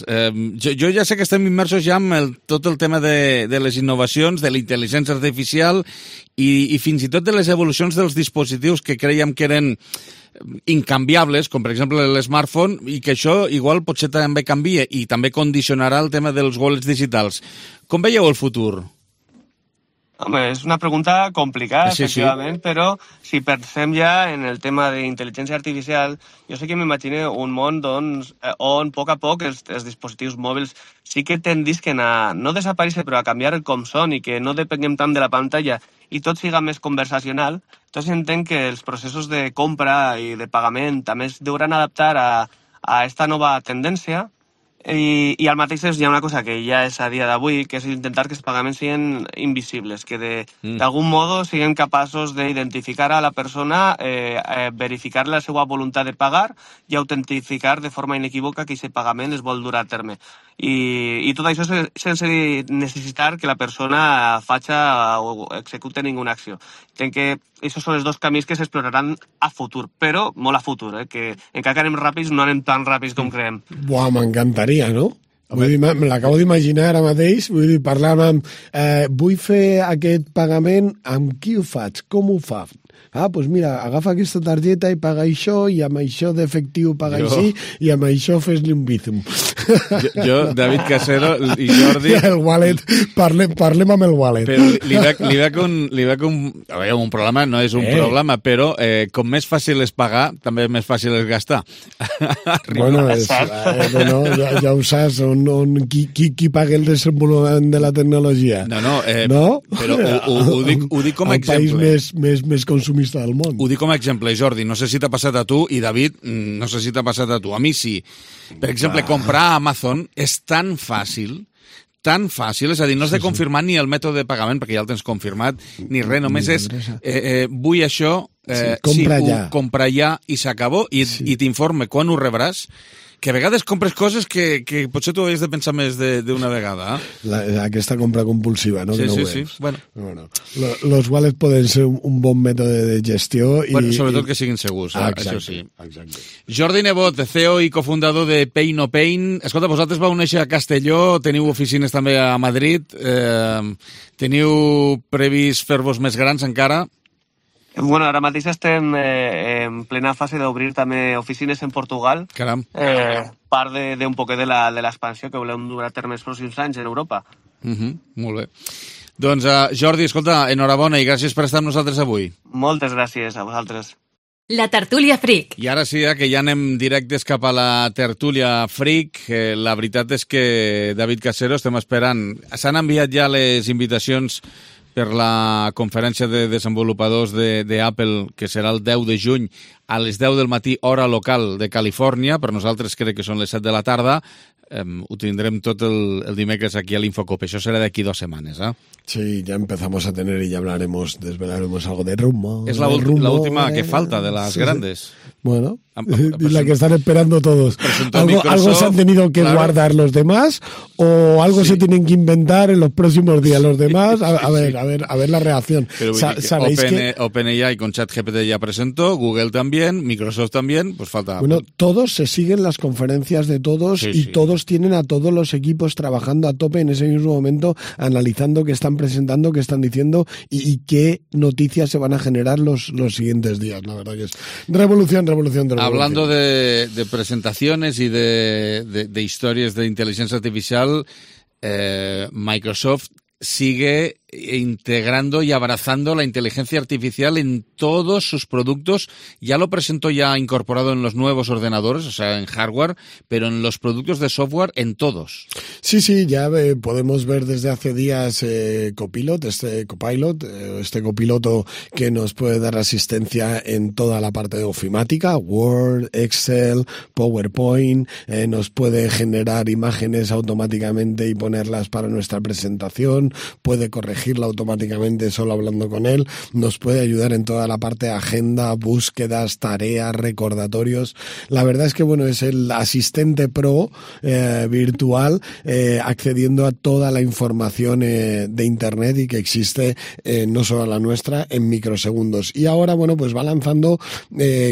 Jo ja sé que estem immersos ja en tot el tema de les innovacions, de la intel·ligència artificial i fins i tot de les evolucions dels dispositius que creiem que eren incanviables, com per exemple l'smartphone, i que això igual potser també canvia i també condicionarà el tema dels wallets digitals. Com veieu el futur? Home, és una pregunta complicada, sí, efectivament, però si pensem ja en el tema d'intel·ligència artificial, jo sé que m'imagino un món doncs, on a poc els dispositius mòbils sí que tendisquen a no desaparèixer, però a canviar com són i que no depenguem tant de la pantalla i tot siga més conversacional. Entonces entenc que els processos de compra i de pagament també es deuran adaptar a esta nova tendència. I al mateix temps hi ha una cosa que ja és a dia d'avui, que és intentar que els pagaments siguin invisibles, que d'algun modo siguem capaços d'identificar a la persona, verificar la seva voluntat de pagar i autentificar de forma inequívoca que aquest pagament es vol dur a terme. I tot això sense necessitar que la persona faci o execute ninguna acció. Entenc que aquests són els dos camins que s'exploraran a futur, però molt a futur, que encara que anem ràpids no anem tan ràpids com creiem. Buah, m'encantaria, no? Vull dir, me l'acabo d'imaginar ara mateix, vull dir, parlant amb... vull fer aquest pagament, amb qui ho faig? Com ho fa? Doncs mira, agafa aquesta targeta i paga això, i amb això d'efectiu paga així, i amb això fes-li un bizum. Jo, David Casero i Jordi... El wallet, parlem amb el wallet. Però li veig un problema, no és un problema, però com més fàcil és pagar, també més fàcil és gastar. Bueno, ja ho saps, qui paga el desenvolupament de la tecnologia? No, però ho dic com a exemple. El país més consumista del món. Ho dic com a exemple, Jordi, no sé si t'ha passat a tu, i David, no sé si t'ha passat a tu. A mi sí. Per exemple, comprar a Amazon és tan fàcil, és a dir, no has de confirmar ni el mètode de pagament, perquè ja el tens confirmat, ni res, només és vull això, compra ja i s'acabó, i t'informe quan ho rebràs, que a vegades compres coses que potser tu havies de pensar més d'una vegada. Aquesta compra compulsiva, no? Sí. Bueno, los wallets poden ser un bon mètode de gestió. Sobretot que siguin segurs, exacte, això sí. Exacte. Jordi Nebot, CEO i cofundador de Pay No Pain. Escolta, vosaltres vau néixer a Castelló, teniu oficines també a Madrid, teniu previst fer-vos més grans encara? Bueno, ara mateix estem en plena fase d'obrir també oficines en Portugal. Caram. Part d'un poc de l'expansió que volem dur a terme els pròxims anys en Europa. Molt bé. Doncs, Jordi, escolta, enhorabona i gràcies per estar amb nosaltres avui. Moltes gràcies a vosaltres. La tertúlia Freak. I ara sí, que ja anem directes cap a la tertúlia Freak. La veritat és que, David Casero, estem esperant. S'han enviat ja les invitacions per la conferència de desenvolupadors d'Apple, que serà el 10 de juny a les 10 del matí, hora local de Califòrnia. Per nosaltres crec que són les 7 de la tarda. Ho tindrem tot el dimecres aquí a l'Infocop. Això serà d'aquí 2 setmanes, Sí, ya empezamos a tener y ya desvelaremos algo de rumbo. Es la última que falta de las grandes. Bueno, y la que están esperando todos. Algo se han tenido que guardar los demás o algo se tienen que inventar en los próximos días los demás. A ver la reacción. Pero ¿sabéis que OpenAI con ChatGPT ya presentó, Google también, Microsoft también, pues falta... Bueno, todos se siguen las conferencias de todos todos tienen a todos los equipos trabajando a tope en ese mismo momento, analizando qué están presentando, qué están diciendo y qué noticias se van a generar los siguientes días. La verdad que es revolución. Hablando de presentaciones y de historias de inteligencia artificial, Microsoft sigue integrando y abrazando la inteligencia artificial en todos sus productos. Ya lo presentó ya incorporado en los nuevos ordenadores, o sea, en hardware, pero en los productos de software, en todos. Sí, ya podemos ver desde hace días Copilot, este copiloto que nos puede dar asistencia en toda la parte de ofimática, Word, Excel, PowerPoint, nos puede generar imágenes automáticamente y ponerlas para nuestra presentación, puede corregirla automáticamente solo hablando con él, nos puede ayudar en toda la parte de agenda, búsquedas, tareas, recordatorios. La verdad es que es el asistente pro virtual accediendo a toda la información de Internet y que existe no solo la nuestra en microsegundos. Y ahora, va lanzando,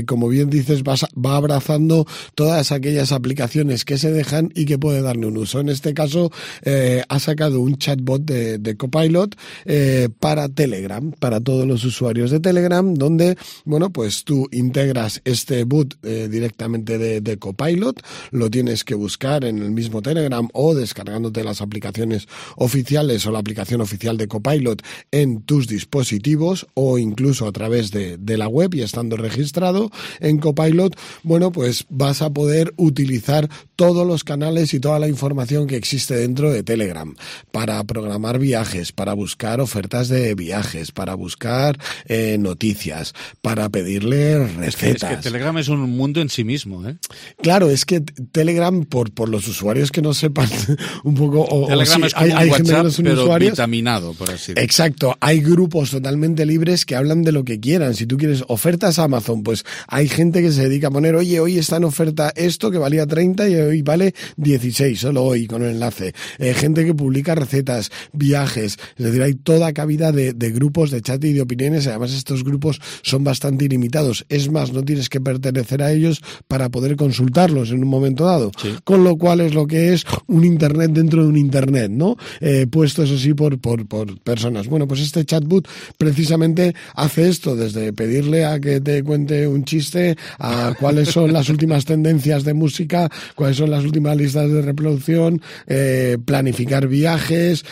como bien dices, va abrazando todas aquellas aplicaciones que se dejan y que puede darle un uso. En este caso, ha sacado un chatbot de Copilot para Telegram, para todos los usuarios de Telegram, donde, bueno, pues tú integras este boot directamente de Copilot, lo tienes que buscar en el mismo Telegram o descargándote las aplicaciones oficiales o la aplicación oficial de Copilot en tus dispositivos o incluso a través de la web y estando registrado en Copilot, bueno, pues vas a poder utilizar todos los canales y toda la información que existe dentro de Telegram para programar viajes, para buscar ofertas de viajes, para buscar noticias, para pedirle recetas. Es que Telegram es un mundo en sí mismo, ¿eh? Claro, es que Telegram, por los usuarios que no sepan un poco... Telegram es como hay un gente que WhatsApp, no son pero usuarios. vitaminado, por así decirlo. Exacto, hay grupos totalmente libres que hablan de lo que quieran. Si tú quieres ofertas a Amazon, pues hay gente que se dedica a poner, oye, hoy está en oferta esto que valía 30 y hoy vale 16, solo hoy con el enlace. Gente que publica recetas, viajes, es decir, hay toda cabida de grupos de chat y de opiniones. Además, estos grupos son bastante ilimitados. Es más, no tienes que pertenecer a ellos para poder consultarlos en un momento dado. Sí. Con lo cual es lo que es un internet dentro de un internet, ¿no? Puesto eso sí por personas. Bueno, pues este chatbot precisamente hace esto, desde pedirle a que te cuente un chiste, a cuáles son las últimas tendencias de música, cuáles son las últimas listas de reproducción, planificar viajes,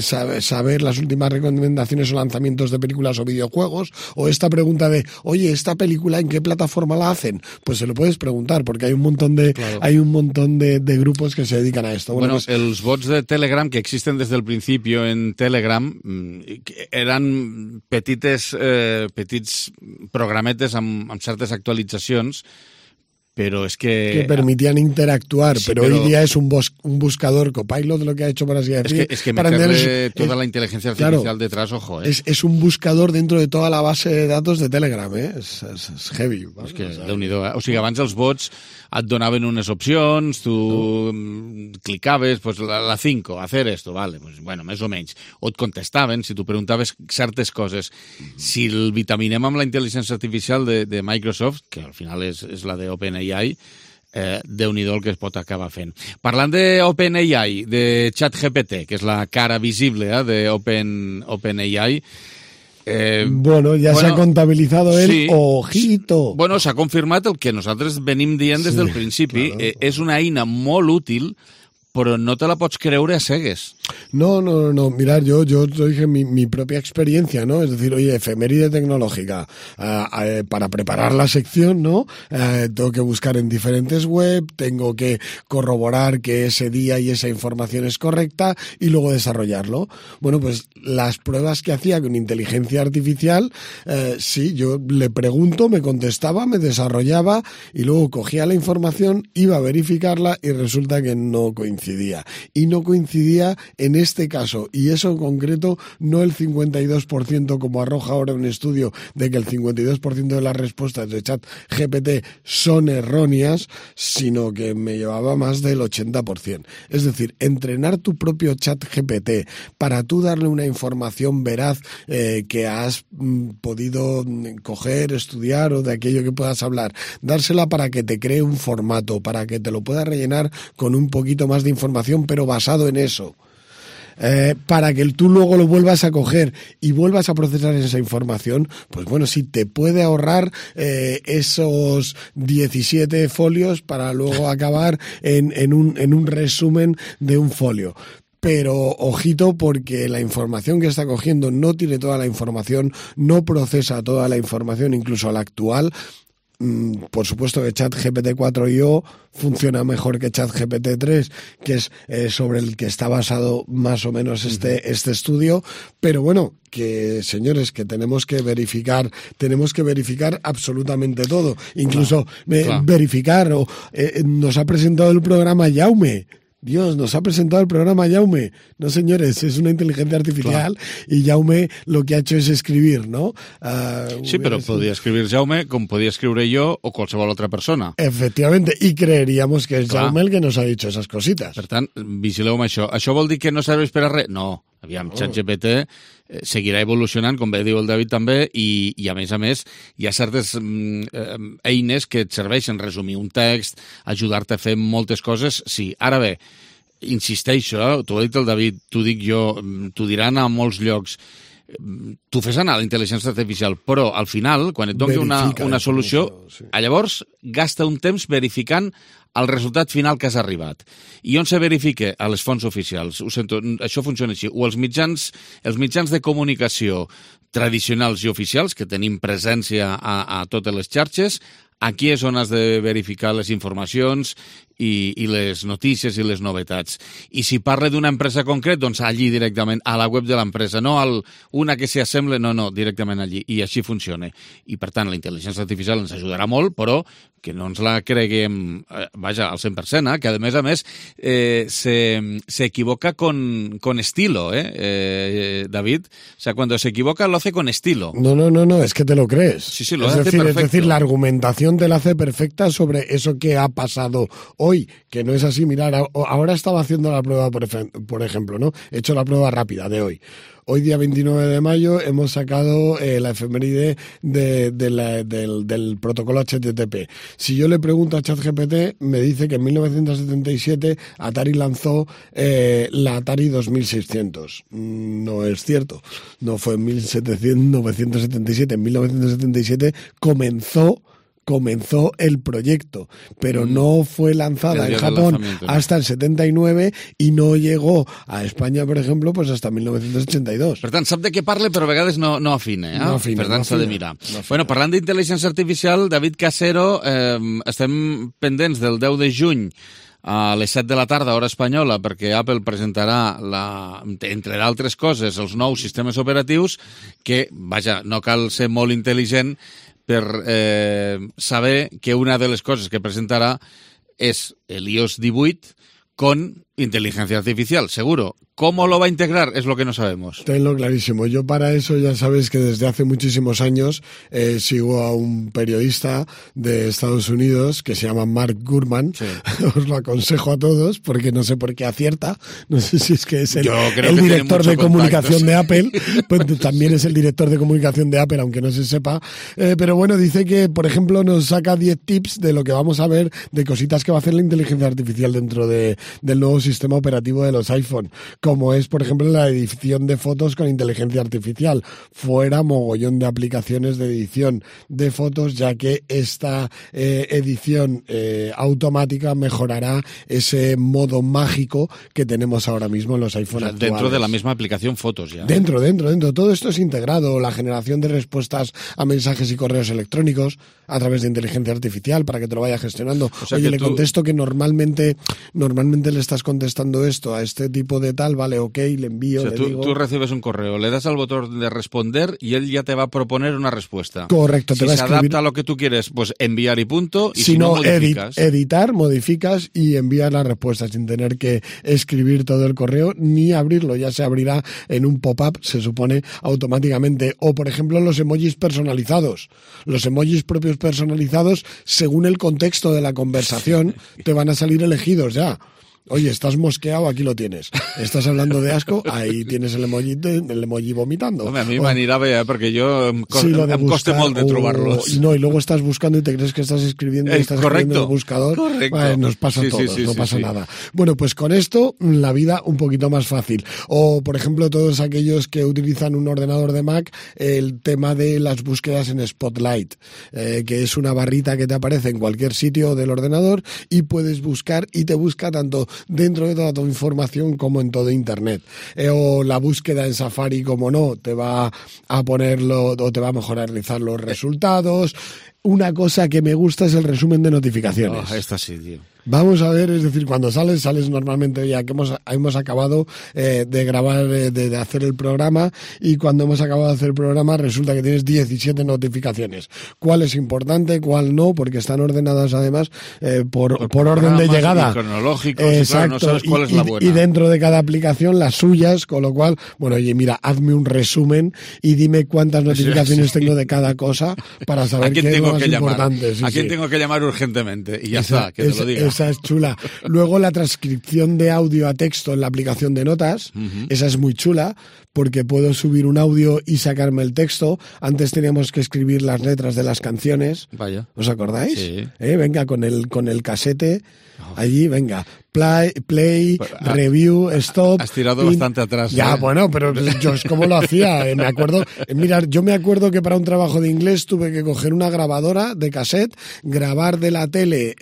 saber las últimas recomendaciones o lanzamientos de películas o videojuegos, o esta pregunta de, oye, ¿esta película en qué plataforma la hacen? Pues se lo puedes preguntar, porque hay un montón de grupos que se dedican a esto. Bueno, pues, els bots de Telegram que existen desde el principio en Telegram eren petits programetes amb certes actualitzacions, pero es que permitían interactuar, sí, pero hoy día es un buscador Copilot, lo que ha hecho, por así decir. Es que meterle toda la inteligencia artificial detrás, ojo. Es un buscador dentro de toda la base de datos de Telegram, és heavy. És que, Déu-n'hi-do, O sigui, abans els bots et donaven unes opcions, tu clicaves, pues la 5, hacer esto, vale, pues bueno, més o menys. O et contestaven, si tu preguntaves certes coses. Si el vitaminem amb la intel·ligència artificial de Microsoft, que al final és la de OpenAI, Déu-n'hi-do el que es pot acabar fent. Parlant de OpenAI, de ChatGPT, que és la cara visible de OpenAI, bueno, ya se ha contabilizado el sí, ojito. Bueno, s'ha confirmat el que nosaltres venim dient des del principi. Claro. És una eina molt útil, però no te la pots creure a cegues. No. Mirad, yo dije mi propia experiencia, ¿no? Es decir, oye, efeméride tecnológica. Para preparar la sección, ¿no? Tengo que buscar en diferentes web, tengo que corroborar que ese día y esa información es correcta y luego desarrollarlo. Bueno, pues las pruebas que hacía con inteligencia artificial, sí, yo le pregunto, me contestaba, me desarrollaba y luego cogía la información, iba a verificarla y resulta que no coincidía. Y no coincidía en este caso, y eso en concreto, no el 52% como arroja ahora un estudio de que el 52% de las respuestas de ChatGPT son erróneas, sino que me llevaba más del 80%. Es decir, entrenar tu propio ChatGPT para tú darle una información veraz que has podido coger, estudiar o de aquello que puedas hablar, dársela para que te cree un formato, para que te lo pueda rellenar con un poquito más de información, pero basado en eso. Para que tú luego lo vuelvas a coger y vuelvas a procesar esa información, pues bueno, sí, te puede ahorrar esos 17 folios para luego acabar en un resumen de un folio. Pero ojito, porque la información que está cogiendo no tiene toda la información, no procesa toda la información, incluso la actual. Por supuesto que ChatGPT 4.io funciona mejor que ChatGPT 3, que es sobre el que está basado más o menos este estudio, pero bueno, que señores, que tenemos que verificar absolutamente todo, incluso verificar, nos ha presentado el programa Jaume. Dios, nos ha presentado el programa Jaume. No, señores, es una inteligencia artificial y Jaume lo que ha hecho es escribir, ¿no? Sí, però podia escribir Jaume com podia escriure jo o qualsevol otra persona. Efectivamente, y creeríamos que es Jaume el que nos ha dicho esas cositas. Per tant, vigileu amb això. Això vol dir que no serveix per a res? No. Aviam, ChatGPT seguirà evolucionant, com bé diu el David també, i a més, hi ha certes eines que et serveixen resumir un text, ajudar-te a fer moltes coses. Sí, ara bé, insisteixo, t'ho ha dit el David, t'ho dic jo, t'ho diran a molts llocs, tu fes anar la intel·ligència artificial, però al final, quan et doni una solució, llavors gasta un temps verificant el resultat final que has arribat. I on se verifica? A les fonts oficials. Ho sento, això funciona així. O els mitjans de comunicació tradicionals i oficials, que tenim presència a totes les xarxes, aquí és on has de verificar les informacions i les notícies i les novetats. I si parla d'una empresa concret, doncs allí directament, a la web de l'empresa, no una que s'hi assembla, no, directament allí. I així funciona. I per tant, la intel·ligència artificial ens ajudarà molt, però que no ens la creguem, vaja, al 100%, que a més se equivoca con estilo, David. O sea, cuando se equivoca lo hace con estilo. No, es que te lo crees. Sí, lo hace perfecto. Es decir, la argumentación te la hace perfecta sobre eso que ha pasado hoy, que no es así. Mirar, ahora estaba haciendo la prueba, por ejemplo, ¿no? He hecho la prueba rápida de hoy. Hoy, día 29 de mayo, hemos sacado la efeméride del protocolo HTTP. Si yo le pregunto a ChatGPT, me dice que en 1977 Atari lanzó la Atari 2600. No es cierto. No fue en 1977. En 1977 comenzó el proyecto, pero no fue lanzada en Japón hasta el 79 i no llegó a Espanya, per exemple, pues hasta 1982. Per tant, sap de què parla, però a vegades no afina. No afina. Per tant, s'ha de mirar. Bueno, parlant d'intel·ligència artificial, David Casero, estem pendents del 10 de juny a les 7 de la tarda, hora espanyola, perquè Apple presentarà, entre d'altres coses, els nous sistemes operatius que, vaja, no cal ser molt intel·ligent per saber que una de les coses que presentarà és el iOS 18 con inteligencia artificial, seguro. ¿Cómo lo va a integrar? Es lo que no sabemos. Tenlo clarísimo. Yo para eso ya sabes que desde hace muchísimos años sigo a un periodista de Estados Unidos que se llama Mark Gurman. Sí. Os lo aconsejo a todos porque no sé por qué acierta. No sé si es que es el director de comunicación de Apple. Pues también es el director de comunicación de Apple, aunque no se sepa. Pero bueno, dice que, por ejemplo, nos saca 10 tips de lo que vamos a ver, de cositas que va a hacer la inteligencia artificial dentro del nuevo sistema operativo de los iPhone, como es, por ejemplo, la edición de fotos con inteligencia artificial. Fuera mogollón de aplicaciones de edición de fotos, ya que esta edición automática mejorará ese modo mágico que tenemos ahora mismo en los iPhone actuales. Dentro de la misma aplicación fotos ya. Dentro. Todo esto es integrado. La generación de respuestas a mensajes y correos electrónicos a través de inteligencia artificial para que te lo vaya gestionando. O sea, oye, le contesto que normalmente le estás contestando esto a este tipo de tal, vale, ok, le envío, o sea, tú recibes un correo, le das al botón de responder y él ya te va a proponer una respuesta. Correcto. Si se adapta a lo que tú quieres, pues enviar y punto, y si no modificas. Editar, modificas y envías la respuesta sin tener que escribir todo el correo ni abrirlo, ya se abrirá en un pop-up, se supone, automáticamente. O, por ejemplo, los emojis personalizados. Los emojis propios personalizados, según el contexto de la conversación, te van a salir elegidos ya. Oye, estás mosqueado, aquí lo tienes. Estás hablando de asco, ahí tienes el emoji vomitando. Home, a mi m'anirà bé, perquè jo em costa molt de trobar-los. No, y luego estás buscando y te crees que estás escribiendo y estás escribiendo en el buscador. Correcto. Vale, nos pasa a todos, no pasa nada. Bueno, pues con esto la vida un poquito más fácil. O, por ejemplo, todos aquellos que utilizan un ordenador de Mac, el tema de las búsquedas en Spotlight, que es una barrita que te aparece en cualquier sitio del ordenador y puedes buscar y te busca tanto dentro de toda tu información como en todo Internet. O la búsqueda en Safari, como no, te va a ponerlo o te va a mejorizar los resultados. Una cosa que me gusta es el resumen de notificaciones. Esta sí, tío. Vamos a ver, es decir, cuando sales normalmente ya que hemos acabado de grabar, de hacer el programa, y cuando hemos acabado de hacer el programa resulta que tienes 17 notificaciones. ¿Cuál es importante, cuál no? Porque están ordenadas además por orden de llegada. Y cronológicos, exacto, y claro, no sabes cuál es la buena. Y dentro de cada aplicación las suyas, con lo cual, bueno, oye, mira, hazme un resumen y dime cuántas notificaciones tengo de cada cosa para saber qué es lo más importante. ¿A quién tengo que llamar urgentemente? Y ya está, que te lo diga. Esa es chula. Luego la transcripción de audio a texto en la aplicación de notas, esa es muy chula, porque puedo subir un audio y sacarme el texto. Antes teníamos que escribir las letras de las canciones. Vaya. ¿Os acordáis? Sí. Venga, con el casete, allí, venga. play, review, stop. Has tirado bastante atrás. Ya, bueno, pero yo es como lo hacía. Me acuerdo, yo me acuerdo que para un trabajo de inglés tuve que coger una grabadora de cassette, grabar de la tele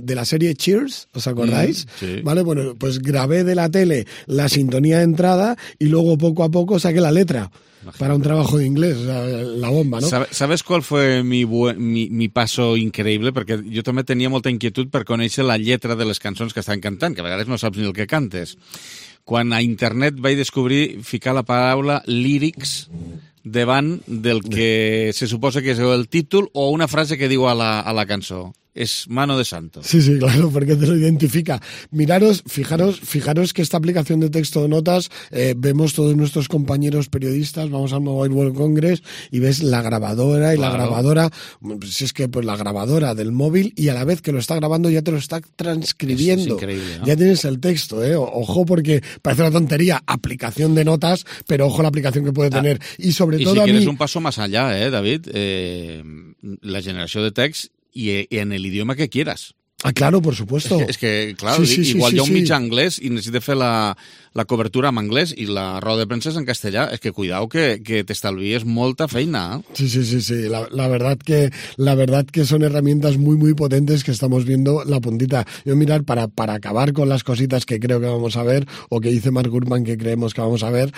de la serie Cheers, ¿os acordáis? Sí. Vale, bueno, pues grabé de la tele la sintonía de entrada y luego poco a poco saqué la letra. Para un trabajo de inglés, o sea, la bomba, ¿no? ¿Sabes cuál fue mi passo increïble? Perquè jo també tenia molta inquietud per conèixer la lletra de les cançons que estan cantant, que a vegades no saps ni el que cantes. Quan a internet vaig descobrir ficar la paraula lyrics davant del que se suposa que és el títol o una frase que diu a la cançó. Es mano de santo. Sí, claro, porque te lo identifica. Fijaros que esta aplicación de texto de notas, vemos todos nuestros compañeros periodistas, vamos al Mobile World Congress y ves la grabadora y claro. La grabadora, si es que pues la grabadora del móvil y a la vez que lo está grabando ya te lo está transcribiendo. Es increíble, ¿no? Ya tienes el texto, Ojo porque parece una tontería, aplicación de notas, pero ojo la aplicación que puede tener. Y sobre todo si quieres un paso más allá, David, la generació de text y en el idioma que quieras. Ah, claro, por supuesto. És que claro, sí, igual hi ha un mig anglès i necessita fer la cobertura en anglès i la roda de premsa és en castellà. És que cuidao que t'estalvies molta feina. Sí. La verdad que son herramientas muy, muy potentes que estamos viendo la puntita. Yo mirar, para acabar con las cositas que creo que vamos a ver, o que dice Mark Gurman que creemos que vamos a ver,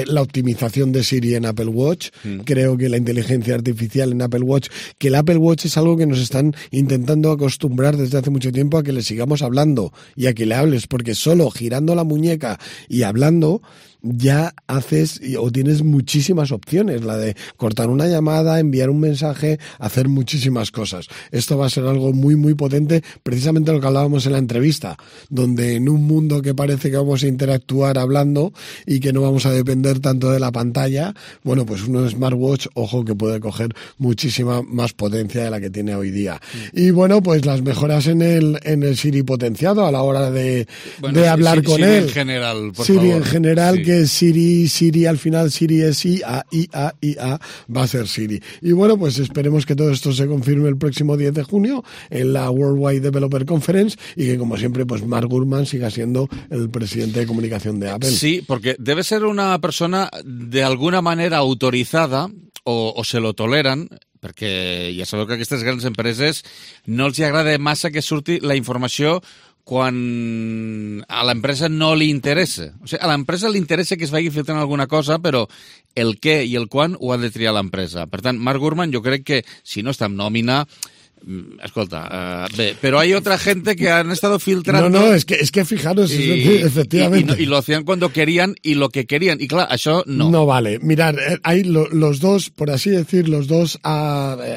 la optimización de Siri en Apple Watch. Creo que la inteligencia artificial en Apple Watch, que el Apple Watch es algo que nos están intentando acostumbrar desde hace mucho tiempo a que le sigamos hablando y a que le hables, porque solo girando la muñeca y hablando ya haces o tienes muchísimas opciones, la de cortar una llamada, enviar un mensaje, hacer muchísimas cosas. Esto va a ser algo muy, muy potente, precisamente lo que hablábamos en la entrevista, donde en un mundo que parece que vamos a interactuar hablando y que no vamos a depender tanto de la pantalla, bueno, pues un smartwatch, ojo, que puede coger muchísima más potencia de la que tiene hoy día. Y bueno, pues las mejoras en el Siri potenciado a la hora de hablar con él. En general, por Siri favor. En general, sí. Que Siri al final, Siri es IA, va a ser Siri. Y bueno, pues esperemos que todo esto se confirme el próximo 10 de junio en la Worldwide Developer Conference y que, como siempre, pues Mark Gurman siga siendo el presidente de comunicación de Apple. Sí, porque debe ser una persona de alguna manera autorizada o se lo toleran, perquè ja sabeu que a aquestes grans empreses no els agrada massa que surti la informació quan a l'empresa no li interessa. O sigui, a l'empresa li interessa que es vagi filtrant alguna cosa, però el què i el quan ho ha de triar l'empresa. Per tant, Mark Gurman, jo crec que si no està en nòmina, escolta, pero hay otra gente que han estado filtrando. No, es que fijaros, efectivamente. Y lo hacían cuando querían y lo que querían. Y claro, eso no. No vale. Mirad, hay los dos, por así decir, los dos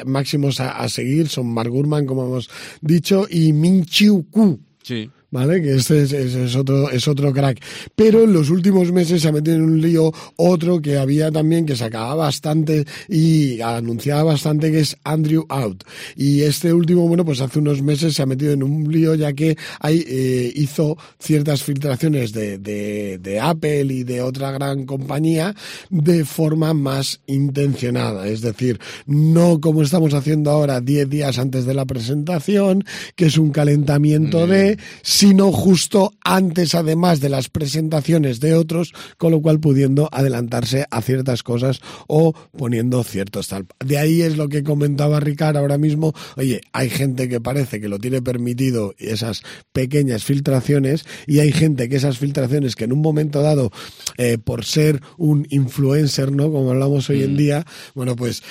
máximos a seguir son Mark Gurman, como hemos dicho, y Min-Chiu Kuo. Sí. ¿Vale? Que este es otro crack. Pero en los últimos meses se ha metido en un lío otro que había también, que sacaba bastante y anunciaba bastante, que es Andrew Out. Y este último, bueno, pues hace unos meses se ha metido en un lío, ya que hizo ciertas filtraciones de Apple y de otra gran compañía de forma más intencionada. Es decir, no como estamos haciendo ahora 10 días antes de la presentación, que es un calentamiento sino justo antes, además de las presentaciones de otros, con lo cual pudiendo adelantarse a ciertas cosas o poniendo ciertos tal. De ahí es lo que comentaba Ricard ahora mismo. Oye, hay gente que parece que lo tiene permitido, esas pequeñas filtraciones, y hay gente que esas filtraciones que en un momento dado, por ser un influencer, ¿no?, como hablamos hoy en día, bueno, pues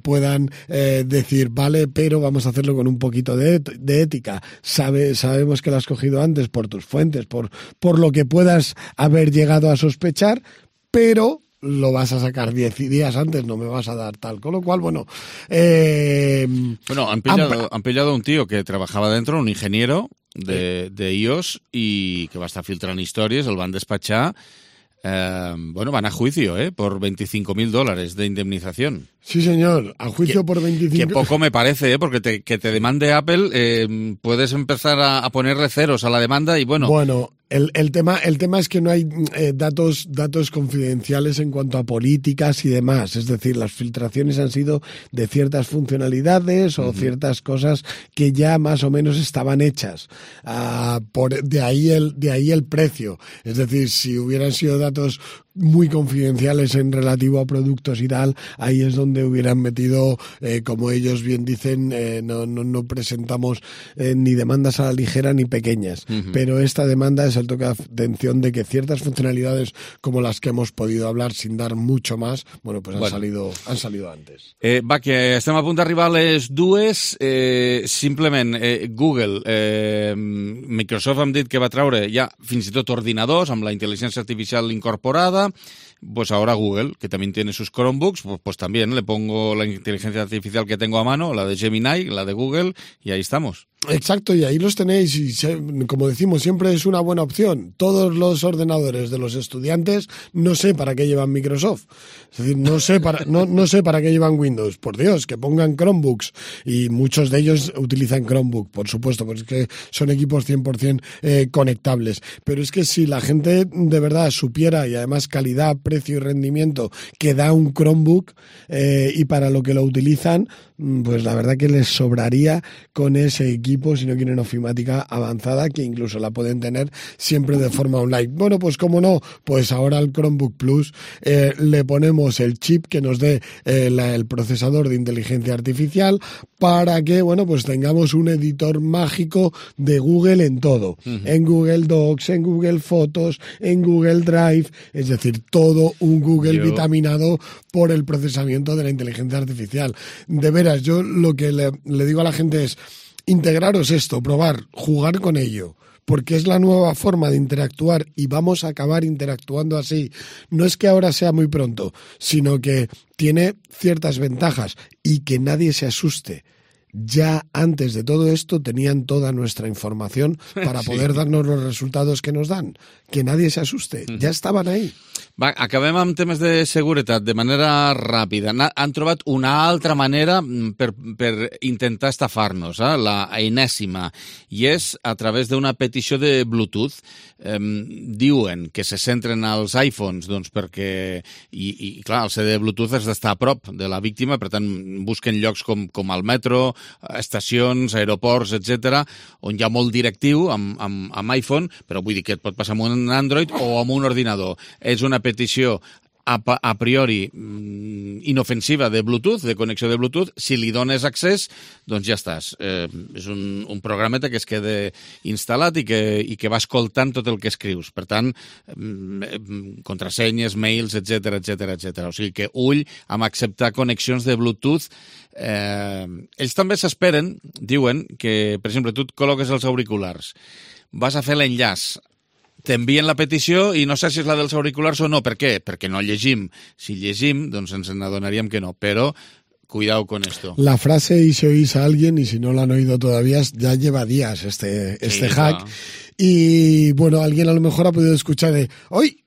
puedan decir, vale, pero vamos a hacerlo con un poquito de ética. Sabemos que lo has cogido antes por tus fuentes, por lo que puedas haber llegado a sospechar, pero lo vas a sacar 10 días antes, no me vas a dar tal. Con lo cual, bueno... han pillado a un tío que trabajaba dentro, un ingeniero de iOS, y que va a estar filtrando historias, el van despachar. Van a juicio, por $25,000 de indemnización. Sí, señor, a juicio por 25. Que poco me parece, porque que te demande Apple, puedes empezar a ponerle ceros a la demanda y bueno, El tema es que no hay datos confidenciales en cuanto a políticas y demás. Es decir, las filtraciones han sido de ciertas funcionalidades o ciertas cosas que ya más o menos estaban hechas. De ahí el precio. Es decir, si hubieran sido datos muy confidenciales en relativo a productos y tal, ahí es donde hubieran metido, como ellos bien dicen, no presentamos ni demandas a la ligera ni pequeñas. Pero esta demanda es el toque de atención de que ciertas funcionalidades como las que hemos podido hablar sin dar mucho más, han salido antes. Va, que estem a punt d'arribar a les 2. Simplement, Google, Microsoft hem dit que va treure ja fins i tot ordinadors amb la intel·ligència artificial incorporada. Pues ahora Google, que también tiene sus Chromebooks, pues también le pongo la inteligencia artificial que tengo a mano, la de Gemini, la de Google, y ahí estamos. Exacto, y ahí los tenéis, y como decimos, siempre es una buena opción. Todos los ordenadores de los estudiantes, no sé para qué llevan Microsoft. Es decir, no sé para qué llevan Windows. Por Dios, que pongan Chromebooks. Y muchos de ellos utilizan Chromebook, por supuesto, porque es que son equipos 100% conectables. Pero es que si la gente de verdad supiera, y además calidad, precio y rendimiento que da un Chromebook, y para lo que lo utilizan, pues la verdad que les sobraría con ese equipo si no quieren ofimática avanzada, que incluso la pueden tener siempre de forma online. Bueno, pues cómo no, pues ahora al Chromebook Plus le ponemos el chip que nos dé el procesador de inteligencia artificial para que, pues tengamos un editor mágico de Google en todo. En Google Docs, en Google Fotos, en Google Drive, es decir, todo un Google vitaminado por el procesamiento de la inteligencia artificial. De veras, yo lo que le digo a la gente es: integraros esto, probar, jugar con ello, porque es la nueva forma de interactuar y vamos a acabar interactuando así. No es que ahora sea muy pronto, sino que tiene ciertas ventajas y que nadie se asuste. Ya antes de todo esto tenían toda nuestra información para poder darnos los resultados que nos dan. Que nadie se asuste, ja estaven ahí. Va, acabem amb temes de seguretat de manera ràpida. Han trobat una altra manera per intentar estafar-nos, la enèsima, i és a través d'una petició de Bluetooth. Diuen que se centren als iPhones, doncs perquè, i clar, el CD de Bluetooth has d'estar a prop de la víctima, per tant busquen llocs com el metro, estacions, aeroports, etc., on hi ha molt directiu amb iPhone, però vull dir que et pot passar amb un Android o amb un ordinador. És una petició a priori inofensiva de Bluetooth, de connexió de Bluetooth. Si li dones accés, doncs ja estàs. És un programeta que es queda instal·lat i que va escoltant tot el que escrius. Per tant, contrasenyes, mails, etc. O sigui que ull amb acceptar connexions de Bluetooth. Ells també s'esperen, diuen, que, per exemple, tu et col·loques els auriculars, vas a fer l'enllaç, t'envien la petició i no sé si és la dels auriculars o no. Per què? Perquè no llegim. Si llegim, doncs ens n'adonaríem que no. Però cuidado con esto. La frase "y si oís a alguien", y si no la han oído todavía, ya lleva días este hack. Y bueno, alguien a lo mejor ha podido escuchar de: "Hoy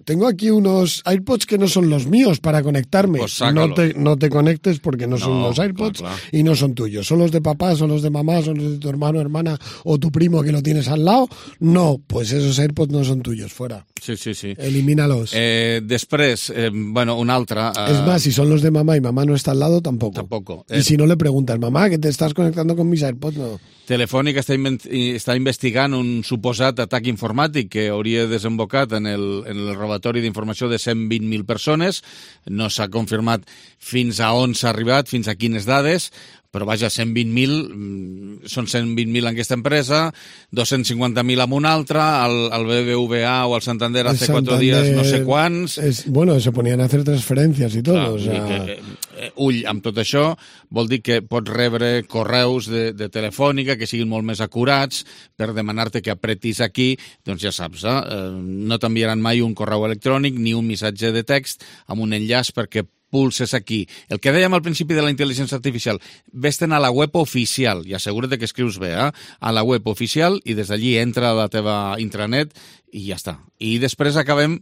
tengo aquí unos AirPods que no son los míos para conectarme". Pues no te conectes porque no son los AirPods, claro. Y no son tuyos. ¿Son los de papá, son los de mamá, son los de tu hermano, hermana o tu primo que lo tienes al lado? No, pues esos AirPods no son tuyos, fuera. Sí. Elimínalos. Després, una altra... Es más, si son los de mamá y mamá no está al lado, tampoco. Y si no le preguntas: "Mamá, ¿que te estás conectando con mis AirPods?" No. Telefònica està investigant un suposat atac informàtic que hauria desembocat en el robatori d'informació de 120.000 persones. No s'ha confirmat fins a on s'ha arribat, fins a quines dades, però vaja, 120.000, són 120.000 en aquesta empresa, 250.000 en una altra, el BBVA o el Santander hace 4 días no sé quants... se ponían a hacer transferencias y todo. Clar, o sea... ull amb tot això, vol dir que pots rebre correus de Telefònica que siguin molt més acurats per demanar-te que apretis aquí, doncs ja saps, no t'enviaran mai un correu electrònic ni un missatge de text amb un enllaç perquè pulses aquí. El que dèiem al principi de la intel·ligència artificial, vés-te'n a la web oficial i assegura't que escrius bé, a la web oficial, i des d'allí entra a la teva intranet i ja està. I després acabem,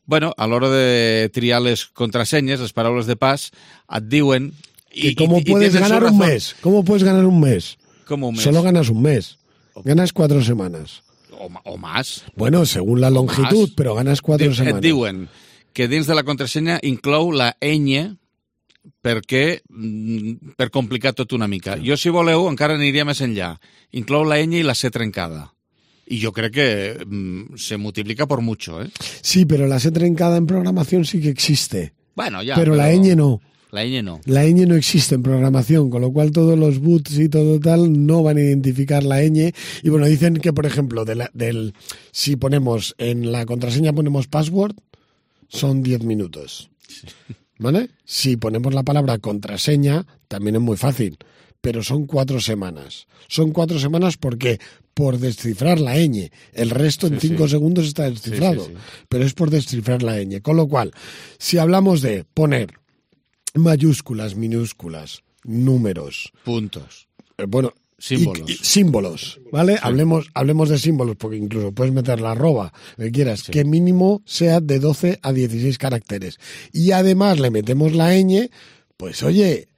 a l'hora de triar les contrasenyes, les paraules de pas, et diuen... ¿Cómo puedes ganar un mes? ¿Cómo puedes ganar un mes? ¿Cómo un mes? Solo ganas un mes. Ganas 4 semanas. o más. Bueno, según la longitud, però ganes 4 setmanes. Et diuen que dins de la contrasenya inclou la ñ per complicar tot una mica. Jo, si voleu, encara aniria més enllà. Inclou la ñ i la C trencada. Y yo creo que se multiplica por mucho, ¿eh? Sí, pero la C trencada en programación sí que existe. Bueno, ya. Pero la ñ no. La ñ no. La ñ no existe en programación, con lo cual todos los boots y todo tal no van a identificar la ñ. Y bueno, dicen que, por ejemplo, si ponemos en la contraseña ponemos password, son 10 minutos. ¿Vale? Si ponemos la palabra contraseña, también es muy fácil. Pero son 4 semanas. Son 4 semanas porque por descifrar la ñ. El resto en 5 segundos está descifrado. Pero es por descifrar la ñ. Con lo cual, si hablamos de poner mayúsculas, minúsculas, números, puntos, símbolos, ¿vale? Sí. Hablemos de símbolos, porque incluso puedes meter la arroba, lo que quieras, que mínimo sea de 12 a 16 caracteres. Y además le metemos la ñ, pues oye,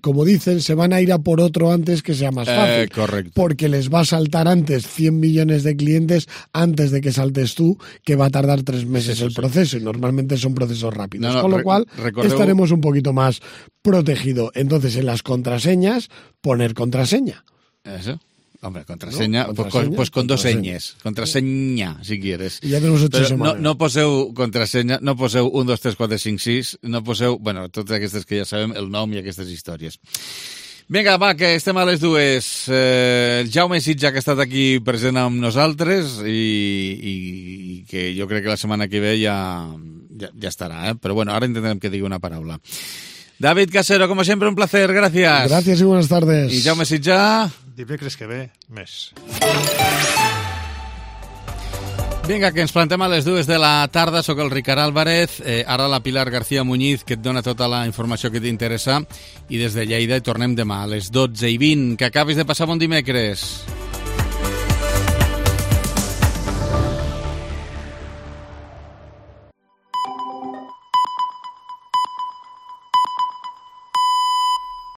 como dicen, se van a ir a por otro antes que sea más fácil. Correcto. Porque les va a saltar antes 100 millones de clientes antes de que saltes tú, que va a tardar 3 meses el proceso, y normalmente son procesos rápidos. Con lo cual, estaremos un poquito más protegidos. Entonces, en las contraseñas, poner contraseña. Eso. Hombre, contraseña, pues con 2 ñes. Contraseña, si quieres. I ja tenemos 8 setmanes. No poseu contrasenya, no poseu 1, 2, 3, 4, 5, 6, no poseu, bueno, totes aquestes que ja sabem, el nom i aquestes històries. Vinga, va, que estem a les 2. El Jaume Sitja, que ha estat aquí present amb nosaltres i que jo crec que la setmana que ve ja estarà, Però bueno, ara intentarem que digui una paraula. David Casero, como siempre, un placer. Gracias. Gracias y buenas tardes. Y Jaume Sitja. Dimecres que ve, més. Vinga, que ens plantem a les 2 de la tarda. Soc el Ricard Álvarez. Ara la Pilar García Muñiz, que et dona tota la informació que t'interessa. I des de Lleida tornem demà a les 12:20. Que acabis de passar bon dimecres.